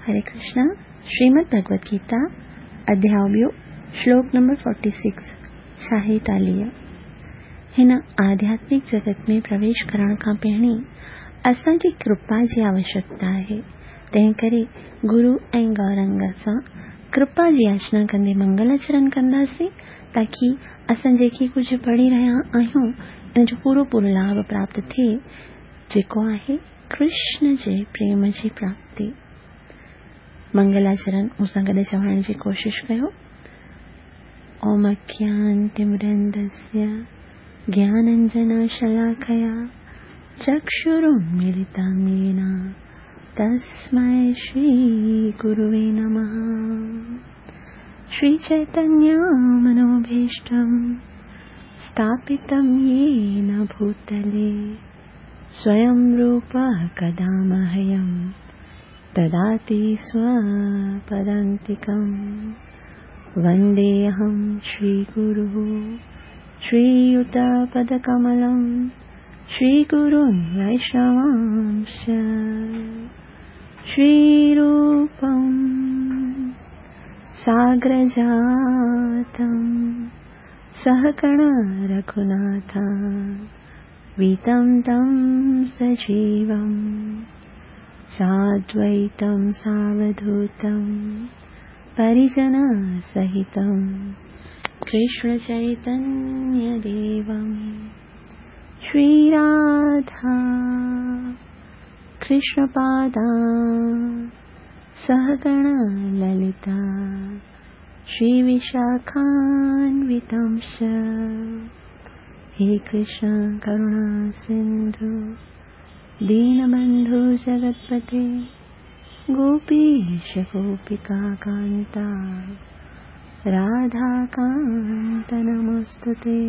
हरे कृष्णा। श्रीमद् भगवत गीता अध्याय ॿियो, श्लोक नंबर 46, 46। हिन आध्यात्मिक जगत में प्रवेश करण खां पहिरीं असांखे कृपा जी आवश्यकता आहे। तंहिंकरे गुरु ऐं गौरंग सां कृपा जी याचना कंदे मंगलाचरण कंदासीं, ताकी असां जेके कुझु पढ़ी रहिया आहियूं इन जो पूरो पूरो लाभ प्राप्त थिए, जेको आहे कृष्ण जे प्रेम जी प्राप्ति। मंगलाचरण मूंसां गॾु चवण जी कोशिश कयो। ओम अज्ञानतिमिरन्दस्य ज्ञानाञ्जनशलाकया चक्षुरुन्मीलितं येन तस्मै श्रीगुरुवे नमः। श्रीचैतन्यमनोभीष्टं स्थापितं येन भूतले स्वयं रूपः कदा मह्यं ददाति स्वपदान्तिकं। वन्देऽहं श्रीगुरुः श्रीयुतपदकमलं श्रीगुरुं वैष्णवांश्च। श्रीरूपं साग्रजातं सहगण रघुनाथं वीतं तं सजीवं साद्वैतं सावधूतं परिजनसहितं कृष्णचैतन्यदेवं। श्रीराधा कृष्णपादा सहगण ललिता श्रीविशाखान्वितांश्च। हे कृष्ण करुणा सिन्धु दीनबन्धु जगत्पते गोपीश गोपिकान्ता राधाकान्त नमोऽस्तुते।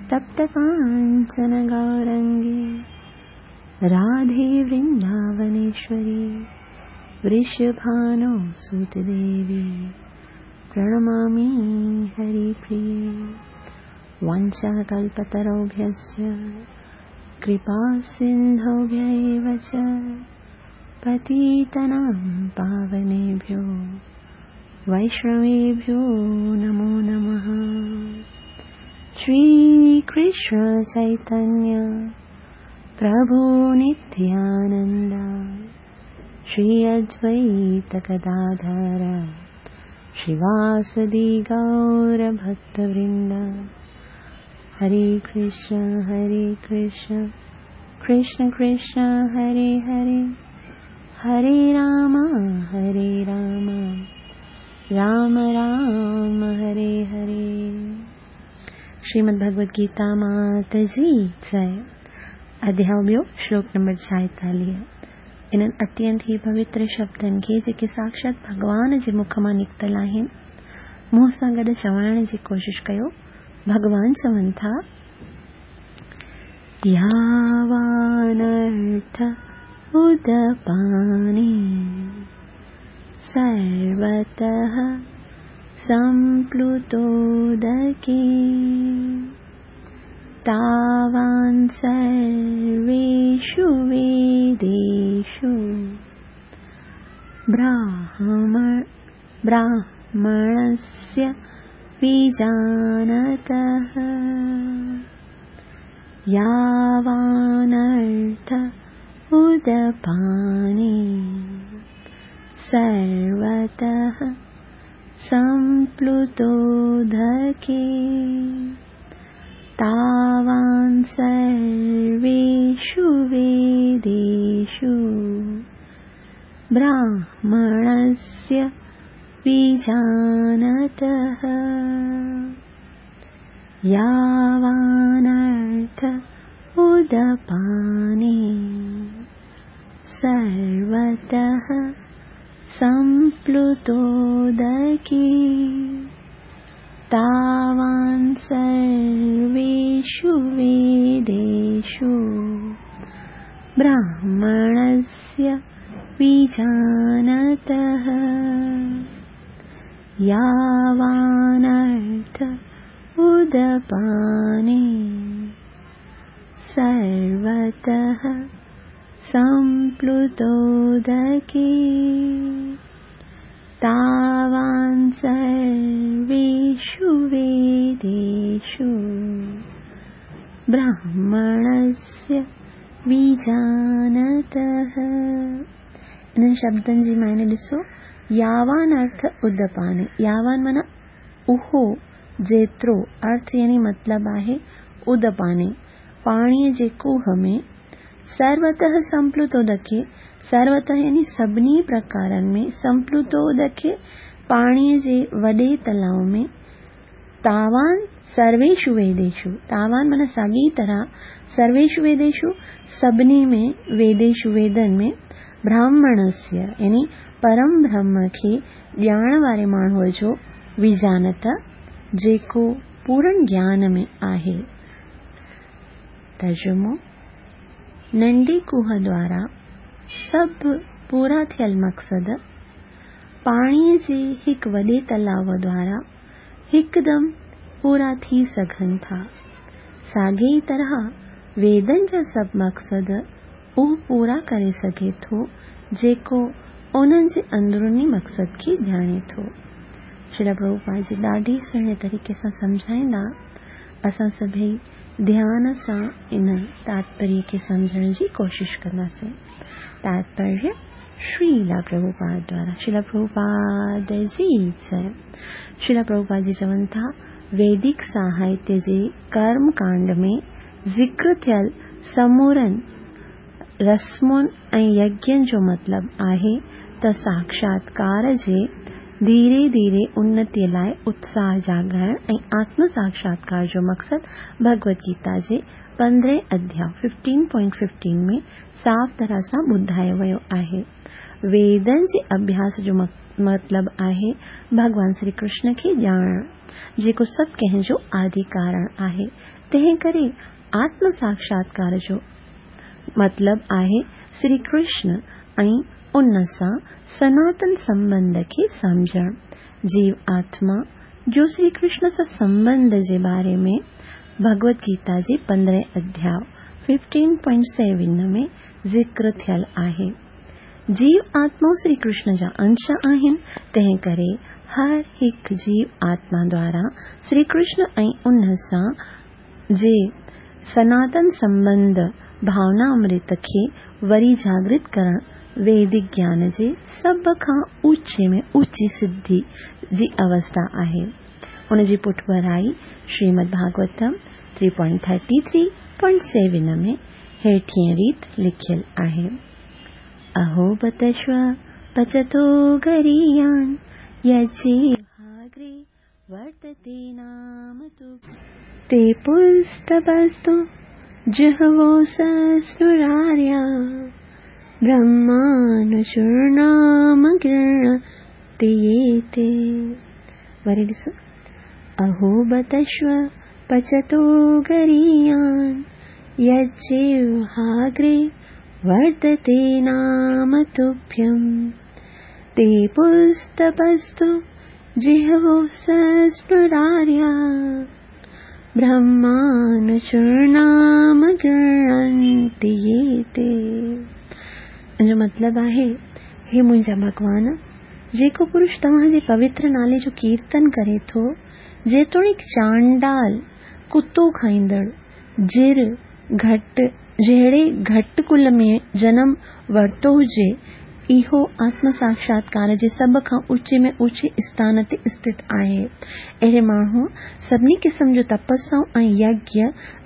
तप्तकाञ्चन गौरङ्गी राधे वृन्दावनेश्वरी वृषभानो सुतदेवी प्रणमामि हरिप्रिये। वाञ्छाकल्पतरुभ्यश्च कृपासिन्धुभ्य एव च पतितानां पावनेभ्यो वैष्णवेभ्यो नमो नमः। श्रीकृष्ण चैतन्य प्रभु नित्यानन्द श्री अद्वैत गदाधर श्रीवासदि गौरभक्तवृन्द। हरे कृष्ण कृष्ण कृष्ण हरे हरे, हरे राम राम राम हरे हरे। श्रीमद् भगवद गीता मात जी जय। अध्याय ॿियो, श्लोक नंबर 46। इन्हनि अत्यंत ई पवित्र शब्दनि खे जेके साक्षात भॻवान जे मुख मां निकितल आहिनि, मूं सां गॾु चवण जी कोशिश कयो। भॻवान चवनि था, यावानर्थ उदपानि सर्वतः सम्प्लुतोदके तावान् सर्वेषु वेदेषु ब्राह्मणस्य विजानतः। यावानर्थ उदपानि सर्वतः सम्प्लुतोदके तावान् सर्वेषु वेदेषु ब्राह्मणस्य विजानतः। यावानर्थ उदपानि सर्वतः सम्प्लुतोदके तावान् सर्वेषु वेदेषु ब्राह्मणस्य विजानतः। यावानर्थ उदपानि सर्वतः सम्प्लुतोदके तावान् सर्वेषु वेदेषु ब्राह्मणस्य विजानतः। इन्हनि शब्दनि जी मायने ॾिसो, यावान अर्थ उदपाने, यावान माना उहो जेतिरो, अर्थ यानी मतिलब आहे उदपाने, पाणीअ जे कूह में, सर्वतः संप्लुतोदके, सर्वतः यानी सभिनी प्रकारनि में, संप्लुतोदके पाणीअ जे वॾे तलाव में, तावान सर्वेषु वेदेषु, तावान माना साॻी तरह, सर्वेषु वेदेषु सभिनी में, वेदेषु वेदनि में, ब्राह्मणस्य यानी परम ब्रह्म खे ॼाण वारे माण्हूअ जो विजानत जेको पूर्ण ज्ञान में आहे। तर्जुमो नंढी कूह द्वारा सभु पूरा थियल मक़सद पाणीअ जे हिकु वॾे तलाव द्वारा हिकदमि पूरा थी सघनि था। साॻी ई तरह वेदनि जा सभु मक़सद उहो पूरा करे सघे थो जेको उन्हनि जे अंदरूनी मक़सद खे ॼाणे थो। श्रील प्रभुपाद जी ॾाढी सुहिणे तरीक़े सां सम्झाईंदा, असां सभई ध्यान सां इन तात्पर्य खे सम्झण जी कोशिश कंदासीं। तात्पर्य श्रीला प्रभुपाद द्वारा, श्रील प्रभुपाद जी जय। श्रील प्रभुपाद जी चवनि था, वैदिक साहित्य जे कर्म कांड में ज़िक्र थियल समूरनि रस्मुनि ऐं यज्ञनि जो मतिलब आहे त साक्षात्कार जे धीरे धीरे उन्नतीअ लाइ उत्साह जाॻाइण ऐं आत्म साक्षात्कार जो मक़सदु भगवत गीता जे 15 अध्याय 15.15 में साफ़ तरह सां ॿुधायो वियो आहे। वेदनि जे अभ्यास जो मतिलब आहे भॻवान श्री कृष्ण खे ॼाणणु, जेको सभु कंहिंजो आदि कारण आहे। तंहिं करे आत्म साक्षात्कार जो मतिलब आहे श्री कृष्ण ऐं उन सां सनातन संबंध खे सम्झणु। जीव आत्मा जो श्री कृष्ण सां संबंध जे बारे में भगवत गीता जे 15 अध्याय 15.7 में ज़िक्र थियल आहे। जीव आत्माऊं श्री कृष्ण जा अंश आहिनि, तंहिं करे हर हिकु जीव आत्मा द्वारा श्री कृष्ण ऐं उन सां जे सनातन संबंध भावना अमृत खे वरी जागृत करणु वैदिक ज्ञान जे सभ खां ऊचे में ऊची सिद्धि जी अवस्था आहे। उन जी पुठभराई श्रीमद् भागवतम 3.33.7 में हेठीं रीत लिखियल आहे। अहो बतश्व पचतो गरीयान यज्जिह्वाग्रे वर्तते नाम तु ते पुस्तपस्तु जिह्वो सस्नुरार्या ब्रह्मानुचूर्णाम गृह्णन्ति ये ते। वरी ॾिसो, अहो बतश्व पचतो गरीयान यज्जिह्वाग्रे वर्तते नाम तुभ्यं ते पुस्तपस्तु जिह्वो सस्नुरार्या ब्रह्मानुचूर्णाम गृह्णन्ति ये ते। जो मतिलब आहे, हे मुंहिंजा भॻवान, जेको पुरुष तव्हांजे पवित्र नाले जो कीर्तन करे थो, जेतोणीकि चांडाल, कुतो खाईंदड़, जिर, घट जहिड़े घट कुल में जनम वरितो हुजे, इहो आत्म साक्षात्कार जे सभ खां ऊचे में ऊचे स्थान ते स्थित आहे। अहिड़े माण्हू सभिनी क़िस्म जो तपस्याऊं ऐं यज्ञ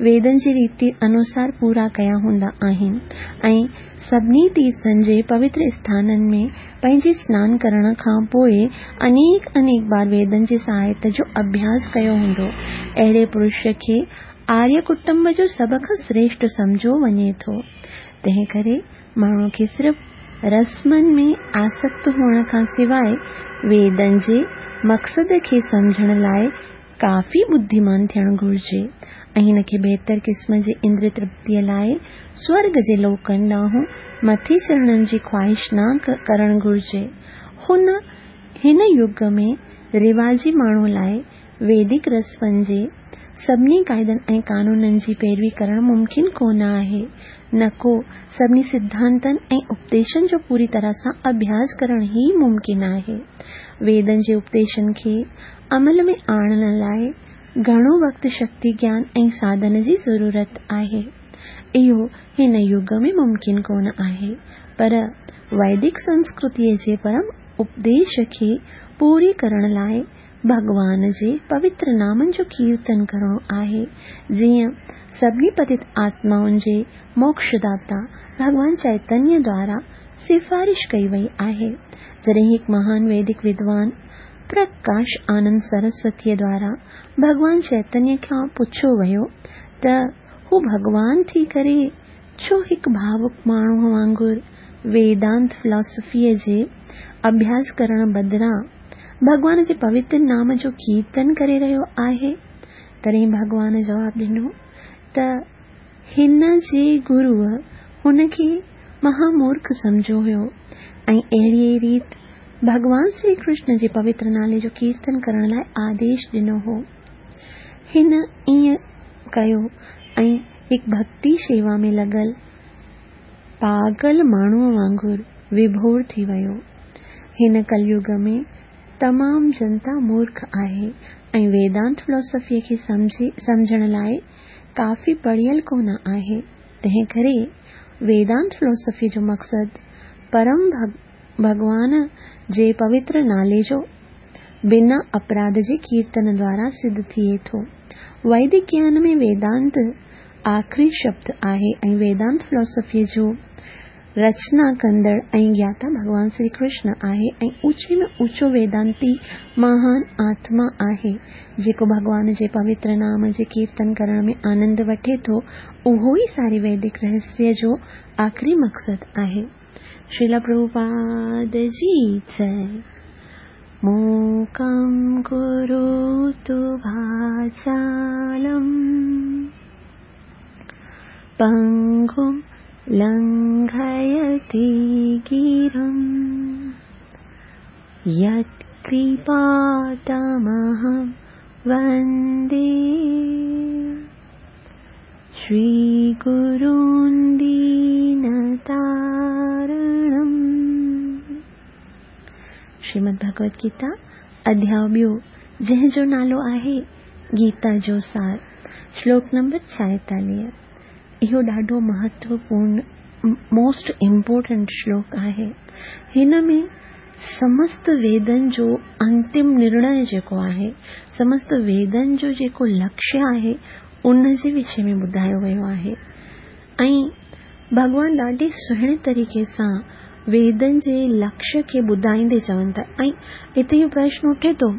वेदनि जी रीति अनुसार पूरा कया हूंदा आहिनि ऐं सभिनी तीर्थनि जे पवित्र स्थाननि में पंहिंजे स्नान करण खां पोइ अनेक अनेक बार वेदनि जे साहित्य जो अभ्यास कयो हूंदो। अहिड़े पुरुष खे आर्य कुटुंब जो सभ खां श्रेष्ठ सम्झो वञे थो। तंहिं करे माण्हू खे सिर्फ़ रस्मनि में आसक्त हुअण खां सवाइ वेदनि जे मक़सद खे सम्झण लाइ काफ़ी बुद्धिमान थियणु घुरिजे ऐं हिन खे बहितर क़िस्म जे इंद्रिय तृप्तीअ लाइ स्वर्ग जे लोकनि ॾांहुं मथे चढ़ण जी ख़्वाहिश न करणु घुरिजे। हिन युग में रिवाजी माण्हू लाइ वैदिक रस्मनि जे سڀني قاعدن ۽ قانونن جي پيروي ڪرڻ ممڪن ڪونه آهي، نه ڪو سڀني سڌانتن ۽ اپديشن جو پوري طرح سان اڀياس ڪرڻ ئي ممڪن آهي. ويدن جي اپديشن کي عمل ۾ آڻڻ لاء گهڻو وقت، شڪتي، گيان ۽ ساڌن جي ضرورت آهي. اهو هن يگ ۾ ممڪن ڪونه آهي، پر ويدڪ سنسڪرتيء جي پرم اپديش کي پوري ڪرڻ لاء ڀڳوان جي پوتر نامن جو ڪيرتن ڪرڻو آهي، جيئن سڀني پتت آتمائن جي موڪش داتا ڀڳوان چئتنيه دوارا سفارش ڪئي وئي آهي. جڏهن هڪ مهان ويدڪ ودوان پرڪاش آنند سرسوتيء دوارا ڀڳوان چئتنيه کان پڇيو ويو ته هو ڀڳوان ٿي ڪري ڇو هڪ ڀاوڪ ماڻهوء وانگر ويدانت فلاسافيء جي اڀياس ڪرڻ بدران ڀڳوان جي پوتر نام جو ڪيرتن ڪري رهيو آهي؟ تڏهن ڀڳوان جواب ڏنو ته هن جي گروء هن کي مها مورک سمجهيو هيو ۽ اهڙيء ريت ڀڳوان سري ڪرشن جي پوتر نالي جو ڪيرتن ڪرڻ لاء آديش ڏنو هو. هن ائين ڪيو ۽ هڪ ڀڳتي شيوا ۾ لڳل پاڳل ماڻهوء وانگر وڀور ٿي ويو. هن ڪليگ ۾ تمام جنتا مورک آهي ۽ ويدانت فلاسافيء کي سمجهڻ لاء ڪافي پڙهيل ڪونه آهي، تنهنڪري ويدانت فلاسافيء جو مقصد پرم ڀڳوان جي پوتر نالي جو بنا اپراڌ جي ڪيرتن دوارا سڌ ٿئي ٿو. ويدڪ گيان ۾ ويدانت آخري شبد آهي ۽ ويدانت فلاسافيء جو رچنا ڪندڙ ۽ گياتا ڀڳوان سري ڪرشن آهي ۽ اوچي ۾ اوچو ويدانتي مهان آتما آهي. جيڪو ڀڳوان جي پوتر نام جي ڪيرتن ڪرڻ ۾ آنند وٺي ٿو، اهو ئي ساري ويدڪ رهسيه جو آخري مقصد آهي. شريلا پرڀوپاد جي جئي. موڪم ڪروتو واچالم پنگم لنگهيتي گرم يت ڪرپا تمهم وندي شري گرون دينتارڻم. شريمد ڀڳوت گيتا اڌياء ٻيو جنهن جو نالو آهي گيتا جو سار شلوڪ نمبر 46. اهو ڏاڍو مهتوپورڻ موسٽ امپورٽنٽ شلوڪ آهي. هن ۾ سمست ويدن جو انتم نرڻي جيڪو آهي، سمست ويدن جو جيڪو لڪشيه آهي ان جي وشي ۾ ٻڌايو ويو آهي ۽ ڀڳوان ڏاڍي سهڻي طريقي سان ويدن جي لڪشيه کي ٻڌائيندي چون ٿا ۽ هتي اهو پرشن اٺي ٿو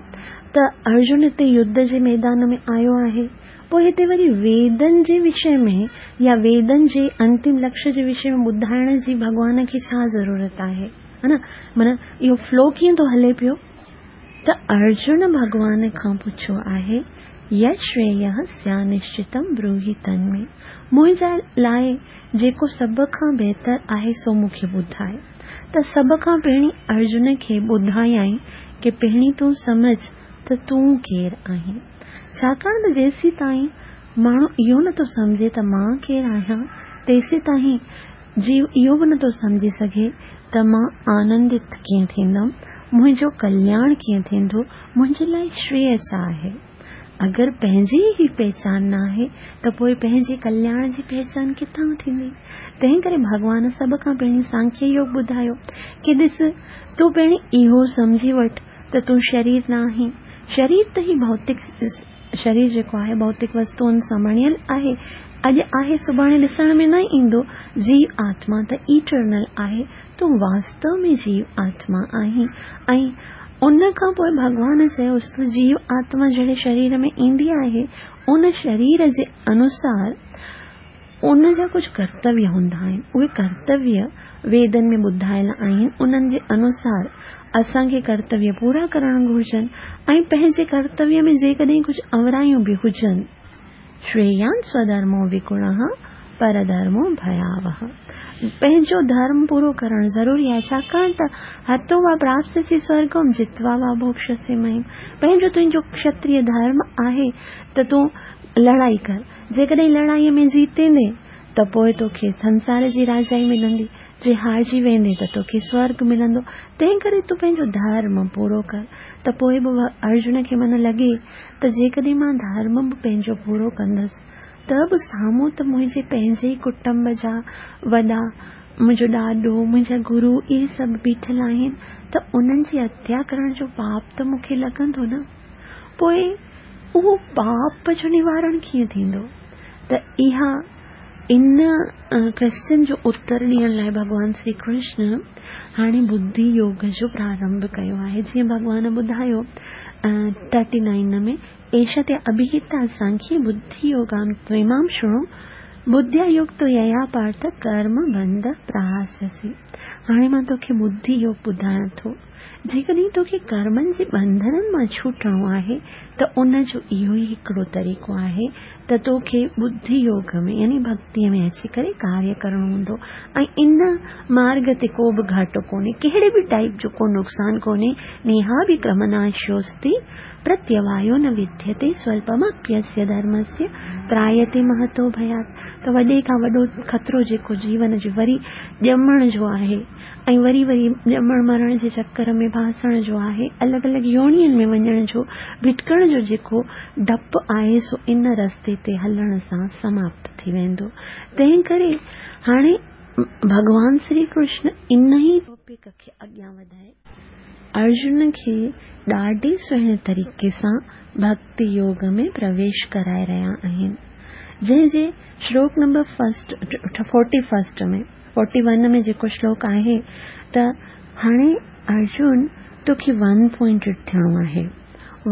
ته ارجن هتي يڌ جي ميدان ۾ آيو آهي پوء هتي وري ويدن جي وشي ۾ يا ويدن جي انتم لڪشيه جي وشي ۾ ٻڌائڻ جي ڀڳوان کي ڇا ضرورت آهي ها نه معنيٰ اهو فلو ڪيئن ٿو هلي پيو ته ارجن ڀڳوان کان پڇيو آهي، يت شرييه سيانشچتم بروهي تنمي، منهنجي لاء جيڪو سڀ کان بهتر آهي سو مون کي ٻڌاء. ته سڀ کان پهرين ارجن کي ٻڌايائين ڪي پهرين تون سمجهه ته تون ڪير آهين. ڇاڪاڻ ته جيسيتائين ماڻهو اهو نٿو سمجهي ته مان ڪير آهيان، تيسيتائين جيو اهو به نٿو سمجهي سگهي ته مان آنندت ڪيئن ٿيندم، منهنجو ڪلياڻ ڪيئن ٿيندو، منهنجي لاء شريه ڇا آهي؟ اگر پنهنجي ئي پهچان ناهي ته پوء پنهنجي ڪلياڻ جي پهچان ڪٿان ٿيندي؟ تنهن ڪري ڀڳوان سڀ کان پهرين سانکيه يوگ ٻڌايو ڪي ڏس تون پهرين اهو سمجهي وٺ ته تون شرير نه آهين، شرير ته هي ڀوتڪ شرير جيڪو آهي ڀوتڪ وستوئن سان بڻيل آهي، اڄ آهي سڀاڻي ڏسڻ ۾ نه ايندو، جيو آتما ته ايٽرنل آهي، تون واستو ۾ جيو آتما آهين ۽ ان کان پوء ڀڳوان چيس ته جيو آتما جهڙي شرير ۾ ايندي آهي ان شرير جي انوسار ان جا ڪجهه ڪرتويه هوندا آهن، اهي ڪرتويه ويدن ۾ ٻڌايل آهن، انهن جي انوسار اسان کي ڪرتويه پورا ڪرڻ گهرجن ۽ پنهنجي ڪرتويه ۾ جيڪڏهن ڪجهه اورايون به هجن. شريان سوڌرمو وگڻه پرڌرمو ڀياوه پنهنجو ڌرم پورو ڪرڻ ضروري آهي، ڇاڪاڻ ته هتو وا پراپسيسي سورگم جتوا وا ڀوڪشسي مهيم پنهنجو تنهنجو کشتريه ڌرم آهي ته تون لڙائي ڪر، جيڪڏهن لڙائيء ۾ جيتيندين ته پوء توکي سنسار جي راجائي ملندي، جي هارجي ويندين ته توکي سورڳ ملندو، تنهنڪري تون پنهنجو ڌرم پورو ڪر. ته پوء به ارجن کي من لڳي ته جيڪڏهن مان ڌرم به پنهنجو پورو ڪندس ته به سامهون ته منهنجي پنهنجي ئي ڪٽنب جا وڏا، منهنجو ڏاڏو، منهنجا گرو اهي سڀ بيٺل آهن ته انهن جي هتيا ڪرڻ جو پاپ ته مون کي لڳندو نه. پوء اهو پاپ جو نوارڻ ڪيئن ٿيندو؟ ته اها ان ڪويسچن جو اتر ڏيڻ لاء ڀڳوان شري ڪرشن هاڻي ٻڌي يوگ جو پرارنڀ ڪيو آهي. جيئن ڀڳوان ٻڌايو ٿرٽي نائن ۾ ايشا تي اڀيهتا سانکيه ٻڌي يوگام تويمام شڻو ٻڌيا يڪت ييا پارٿ ڪرم بنڌ پراهاسيسي. هاڻي مان توکي ٻڌي يوگ ٻڌايان ٿو. جيڪڏهن توکي ڪرمن جي ٻنڌنن مان ڇوٽڻو آهي ته ان جو اهو ئي هڪڙو طريقو آهي ته توکي ٻڌي يوگ ۾ يعني ڀڳتيء ۾ اچي ڪري ڪاريه ڪرڻو هوندو ۽ ان مارڳ تي ڪو به گهاٽو ڪونهي، ڪهڙي به ٽائيپ جو ڪو نقصان ڪونهي، نيهاڀڪرمناشوستي پرتيوايو نه وديتي سولپمپيسيه ڌرمسيه ترايتي مهتو ڀيات ته وڏي کان وڏو خطرو جيڪو جيون جي وري ڄمڻ جو آهي ۽ وري وري ڄمڻ مرڻ جي چڪر ۾ ڦاسڻ جو آهي الڳ الڳ يونين ۾ وڃڻ جو ڀٽڪڻ جو جيڪو ڊپ آهي سو ان رستي تي هلڻ سان سماپت ٿي ويندو تنهن ڪري هاڻي ڀڳوان شري ڪرشن انهي ٽاپڪ کي اڳيان وڌائي ارجن کي ڏاڍي سهڻي طريقي سان ڀڳتي يوگ ۾ پرويش ڪرائي رهيا آهن. جنهن جي شلوڪ number first forty first ۾ forty one ۾ جيڪو شلوڪ آهي ته هاڻي ارجن توکي ون پوائنٽيڊ ٿيڻو آهي.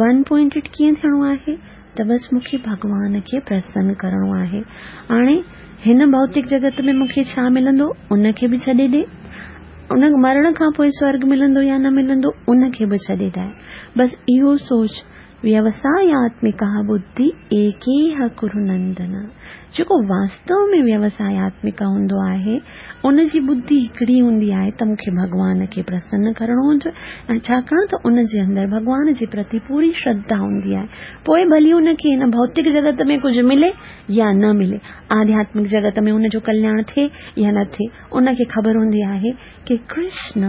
ون پوائنٽيڊ ڪيئن ٿيڻو آهي ته بس مون کي ڀڳوان کي پرسن ڪرڻو آهي. هاڻي هن ڀوتڪ جڳت ۾ مون کي ڇا ملندو ان کي به ڇڏي ڏي. ان مرڻ کان پوء سورڳ ملندو يا نه ملندو ان کي به ڇڏي ڏي. بس اهو سوچ، ويوساياتمڪا ٻڌي ايڪيهه ڪرو نندن. جيڪو واستو ۾ ويوساياتمڪا هوندو آهي، ان جي ٻڌي هڪڙي هوندي آهي ته مون کي ڀڳوان کي پرسن ڪرڻو هجي ۽ ڇاڪاڻ ته ان جي اندر ڀڳوان جي پرتي پوري شرڌا هوندي آهي. پوء ڀلي ان کي هن ڀوتڪ جڳت ۾ ڪجهه ملي يا نه ملي، آڌياتمڪ جڳت ۾ ان جو ڪلياڻ ٿئي يا نه ٿئي، ان کي خبر هوندي آهي ڪي ڪرشن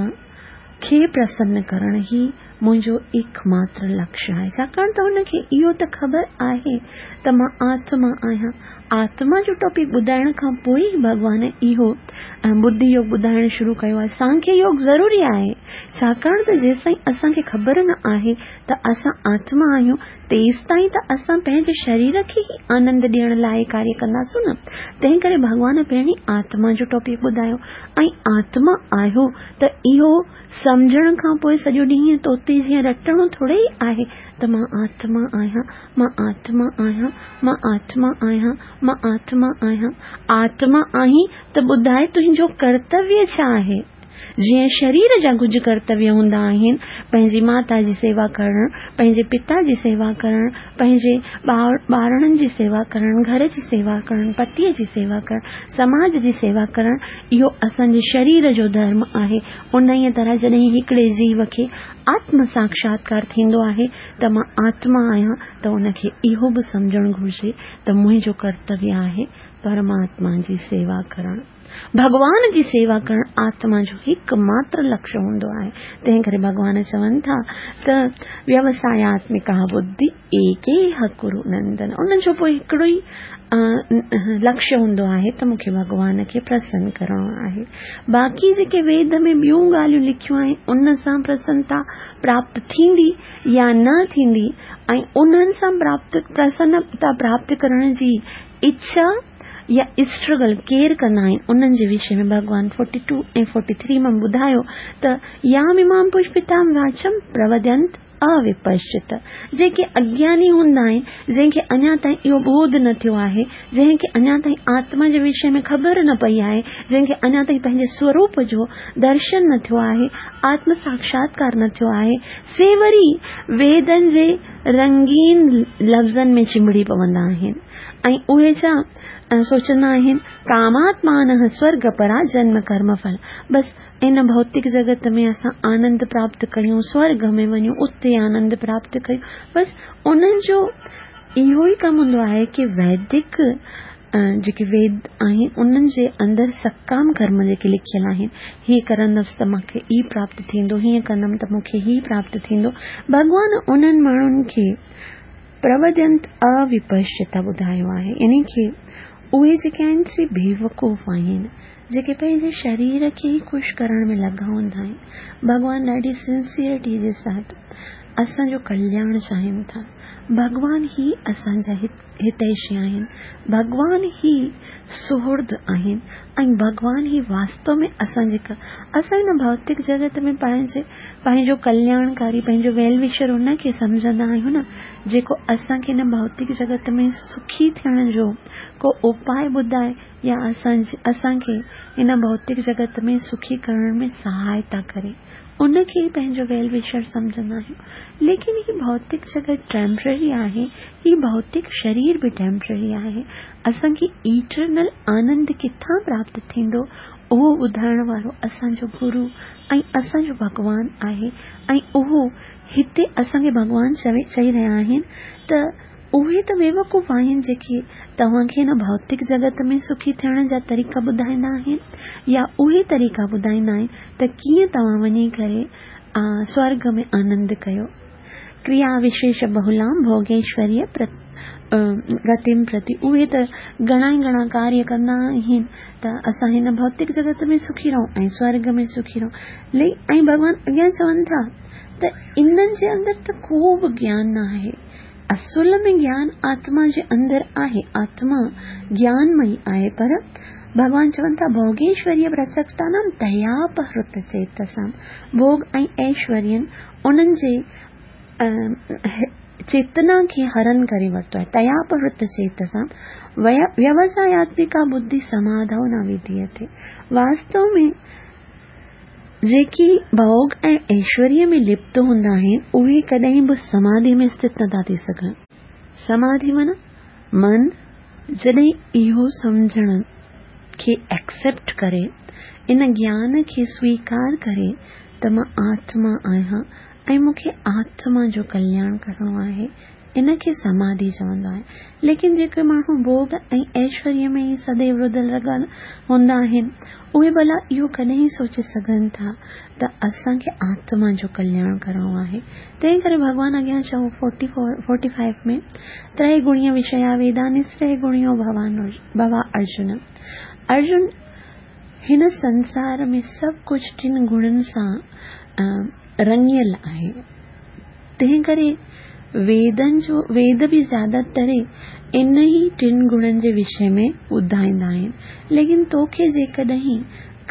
کي پرسن ڪرڻ ئي منهنجو ايڪ ماتر لڪشيه آهي ڇاڪاڻ ته هن کي اهو ته خبر آهي ته مان آتما آهيان. آتما جو ٽاپڪ ٻڌائڻ کان پوء ئي ڀڳوان اهو ٻڌي يوگ ٻڌائڻ شروع ڪيو آهي. سانکيه يوگ ضروري آهي ڇاڪاڻ ته جيستائين اسان کي خبر نه آهي ته اسان آتما آهيون تيستائين ته اسان پنهنجي شرير کي ئي آنند ڏيڻ لاء ڪاريه ڪنداسون نه. تنهن ڪري ڀڳوان پهرين آتما جو ٽاپڪ ٻڌايو ۽ آتما آهيو ته اهو سمجهڻ کان پوء سڄو ڏينهن طوطي جيان رٽڻو ٿوري ئي آهي ته مان آتما آهيان، مان آتما آهيان، مان آتما آهيان، مان آتما آهيان. آتما آهين ته ٻڌاء تنهنجو ڪرتويه ڇا آهي؟ جيئن شرير جا ڪجهه ڪرتويه هوندا آهن، پنهنجي ماتا جي سيوا ڪرڻ، پنهنجي پتا جي سيوا ڪرڻ، پنهنجي ٻارڙن جي سيوا ڪرڻ، گهر جي سيوا ڪرڻ، پتيء جي سيوا ڪرڻ، سماج جي سيوا ڪرڻ، اهو اسان جي شرير جو ڌرم آهي. انهيء طرح جڏهن هڪڙي جيو کي آتم ساکشاتڪار ٿيندو آهي ته مان آتما آهيان ته ان کي اهو به سمجهڻ گهرجي ته منهنجو ڪرتويه آهي پرماتما جي سيوا ڪرڻ. ڀڳوان جي سيوا ڪرڻ آتما جو هڪ ماتر لڪشيه هوندو آهي. تنهن ڪري ڀڳوان چون ٿا ته ويوساياتمڪا ٻڌي ايڪيهه ڪرو نندن. ان جو پوء هڪڙو ئي لڪشيه هوندو آهي ته مون کي ڀڳوان کي پرسن ڪرڻو آهي. باقي جيڪي ويد ۾ ٻيون ڳالهيون لکيون آهن ان سان پرسنتا پراپت ٿيندي يا نه ٿيندي ۽ انهن سان پراپت پرسنتا پراپت ڪرڻ جي اڇا يا اسٽرگل ڪير ڪندا آهن انهن جي وشي ۾ ڀڳوان فورٽي ٽو ۽ فورٽي ٿري ۾ ٻڌايو ته يام امام پشپتام واچم پروڌنت اوپشچت جيڪي اگياني هوندا آهن جنهن کي اڃا تائين اهو ٻوڌ نه ٿيو آهي جنهن کي اڃا تائين آتما جي وشي ۾ خبر نه پئي آهي جنهن کي اڃا تائين پنهنجي سوروپ جو درشن نه ٿيو آهي آتم ساکشاتڪار نه ٿيو آهي سي وري ويدن جي رنگين لفظن ۾ چنبڙي پوندا آهن ۽ اهي ڇا سوچندا آهن ڪاماتمانه سورڳ پرا جنم ڪرم ڦل بس ان ڀوتڪ جڳت ۾ اسان آنند پراپت ڪيون سورڳ ۾ وڃون اتي آنند پراپت ڪيون بس انهن جو اهو ئي ڪم هوندو آهي ڪي ويدڪ جيڪي ويد آهن انهن جي اندر سڪام ڪرم جيڪي لکيل آهن، هي ڪرندس ته مان کي هي پراپت ٿيندو، هيئن ڪندم ته مون کي هي پراپت ٿيندو. ڀڳوان انهن ماڻهن کي پروڌينت اوپشچتا ٻڌايو آهي، يعني ڪي اهي جيڪي آهن سي بيوقوف آهن، جيڪي پنهنجي شرير کي ئي خوش ڪرڻ ۾ لڳا هوندا آهن. ڀڳوان ڏاڍي سنسيئرٽي جي ساٿ اسان جو ڪلياڻ چاهين ٿا. ڀڳوان ئي اسان جا هتيشي آهن، ڀڳوان ئي سهرد آهن ۽ ڀڳوان ئي واستو ۾ اسان جي اسان هن ڀوتڪ جڳت ۾ پنهنجي پنهنجو ڪلياڻڪاري پنهنجو ويل وشر ان کي سمجهندا آهيون نه جيڪو اسان کي هن ڀوتڪ جڳت ۾ سکي ٿيڻ جو ڪو اپاء ٻڌائي يا اسان اسان کي هن ڀوتڪ جڳت ۾ سکي ڪرڻ ۾ سهائتا ڪري. ان کي ئي پنهنجو ويل وشر سمجهندا آهيون. ليڪن هي ڀوتڪ جڳت ٽيمپرري آهي، هي ڀوتڪ شرير به ٽيمپرري آهي. اسان کي ايٽرنل آنند ڪٿان پراپت ٿيندو، اهو ٻڌائڻ وارو اسان جو گرو ۽ اسان جو ڀڳوان آهي ۽ اهو هتي اسان کي ڀڳوان چوي چئي رهيا آهن ته اهي ته بيوقوف آهن جيڪي توهان کي هن ڀوتڪ جڳت ۾ سکي ٿيڻ جا طريقا ٻڌائيندا آهن يا اهي طريقا ٻڌائيندا آهن ته ڪيئن توهان وڃي ڪري سورڳ ۾ آنند ڪيو. ڪريا وشيش بهولام ڀوڳيشوريه گتيم پرتي اهي ته گهڻا ئي گهڻا ڪاريه ڪندا آهن ته اسان هن ڀوتڪ جڳت ۾ سکي رهون ۽ سورڳ ۾ سکي رهون ۽ ڀڳوان اڳيان چون ٿا ته انهن جي اندر ته ڪو به گيان نه آهي. اصل ۾ گيان آتما جي اندر آهي، آتما گيانمئي آهي، پر ڀڳوان چون ٿا ڀوڳيشوريه پرسڪتانام تياپهرت چيتسام، ڀوڳ ۽ ايشورين انهن جي چيتنا کي هرن ڪري ورتو آهي، تياپهرت چيتسام ويوساياتمڪا ٻڌي سماڌو نه وڌيتي. واستو ۾ جيڪي ڀوڳ ۽ ايشوريه ۾ لپت هوندا آهن، اهي ڪڏهن به سماڌي ۾ اسٿت نٿا ٿي سگهن. سماڌي معنيٰ من جڏهن اهو سمجهڻ کي Accept ڪري، ان گيان کي سويڪار ڪري ته مان آتما آهيان ۽ مون کي آتما جو ڪلياڻ ڪرڻو آهي، ان کي سماڌي چوندا آهن. ليڪن جيڪي ماڻهو ڀوڳ ۽ ايشوريه ۾ ئي سديو رڌل رڳل هوندا آهن، اهي ڀلا اهو ڪڏهن سوچي سگهن ٿا ته اسان کي آتما جو ڪلياڻ ڪرڻو آهي. تنهن ڪري ڀڳوان اڳيان چئو فورٽي فائيو ۾، تري گڻيه وشيا ويدا نسري گڻيو ڀوا ارجن. ارجن هن سنسار ۾ سڀ ڪجهه ٽن گڻن سان رڱيل آهي. تنهن ڪري ويدن جو ويد به زياده تري ان ئي ٽن گڻن جي وشي ۾ ٻڌائيندا آهن. ليڪن توکي جيڪڏهن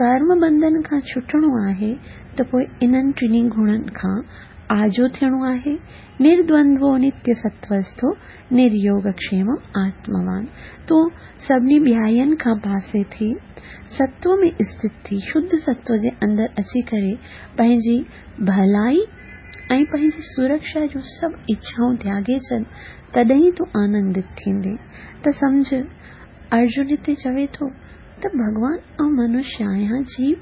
ڪرم بنڌن کان ڇٽڻو آهي ته پوء انهن ٽنهي گڻن کان آجو ٿيڻو آهي. نردوندوو نتيه ستوسٿو نريوگڪشيم آتموان. تون سڀني ٻيائين کان پاسي ٿي ستو ۾ اسٿت ٿي شڌ ستو جي اندر اچي ڪري پنهنجي ڀلائي ۽ پنهنجي سرڪشا جون سڀ اڇائون تياڳي ڇڏ، تڏهن ئي تون آنندت ٿيندين. ته سمجهه، ارجن هتي چوي ٿو ته ڀڳوان آئون منشيه آهيان، جيو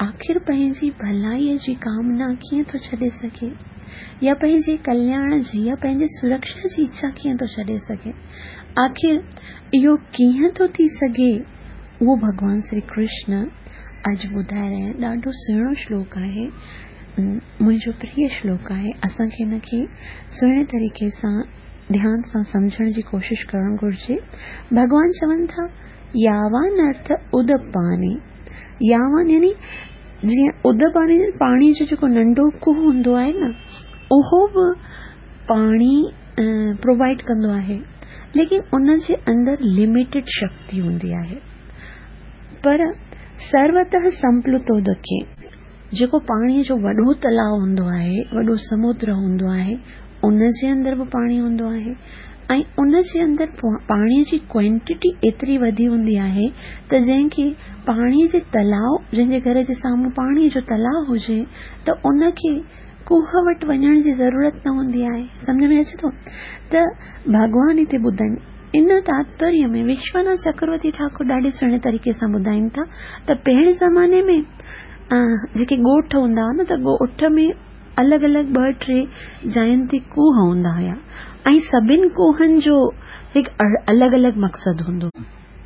آخر پنهنجي ڀلائيء جي ڪامنا ڪيئن ٿو ڇڏي سگهي؟ يا پنهنجي ڪلياڻ جي يا پنهنجي سرڪشا جي اڇا ڪيئن ٿو ڇڏي سگهي؟ آخر اهو ڪيئن ٿو ٿي سگهي؟ اهو ڀڳوان شري ڪرشن اڄ ٻڌائي رهيا آهن. ڏاڍو سهڻو شلوڪ آهي. منهنجو پريه شلوڪ آهي. اسان کي هن کي سهڻي طريقي سان ڌيان سان سمجهڻ جي ڪوشش ڪرڻ گهرجي. ڀڳوان چون ٿا، ياوان ارٿ ادپاني. ياوان يعني جيئن ادپاني پاڻي جو جيڪو ننڍو کوهه هوندو آهي نه اهو به پاڻي پرووائيڊ ڪندو آهي ليڪن ان جي اندر لميٽيڊ شڪتي هوندي آهي پر سروتهه سمپلوتودڪي جيڪو پاڻيء جو وڏو تلاء هوندو آهي، وڏو سمنڊ هوندو آهي، ان جي اندر به پاڻي هوندو آهي ۽ ان جي اندر پاڻيء جي ڪوانٽيٽي ايتري وڌي هوندي آهي ته جنهن کي پاڻيء جي تلاء جنهن جي گهر جي سامهون پاڻيء جو تلاء هجي ته ان کي کوهه وٽ وڃڻ جي ضرورت نه هوندي آهي. سمجهه ۾ اچي ٿو ته ڀڳوان هتي ٻڌائين. ان تاتپريه ۾ وشوناٿ چڪرورتي ٺاڪر ڏاڍي سهڻي طريقي سان ٻڌائين ٿا ته پهرين زماني ۾ جيڪي ڳوٺ هوندا هئا نه ته ڳوٺ ۾ الڳ الڳ ٻه ٽي جاين تي کوهه هوندا هيا ۽ سڀن کوهن جو هڪ الڳ الڳ مقصد هوندو.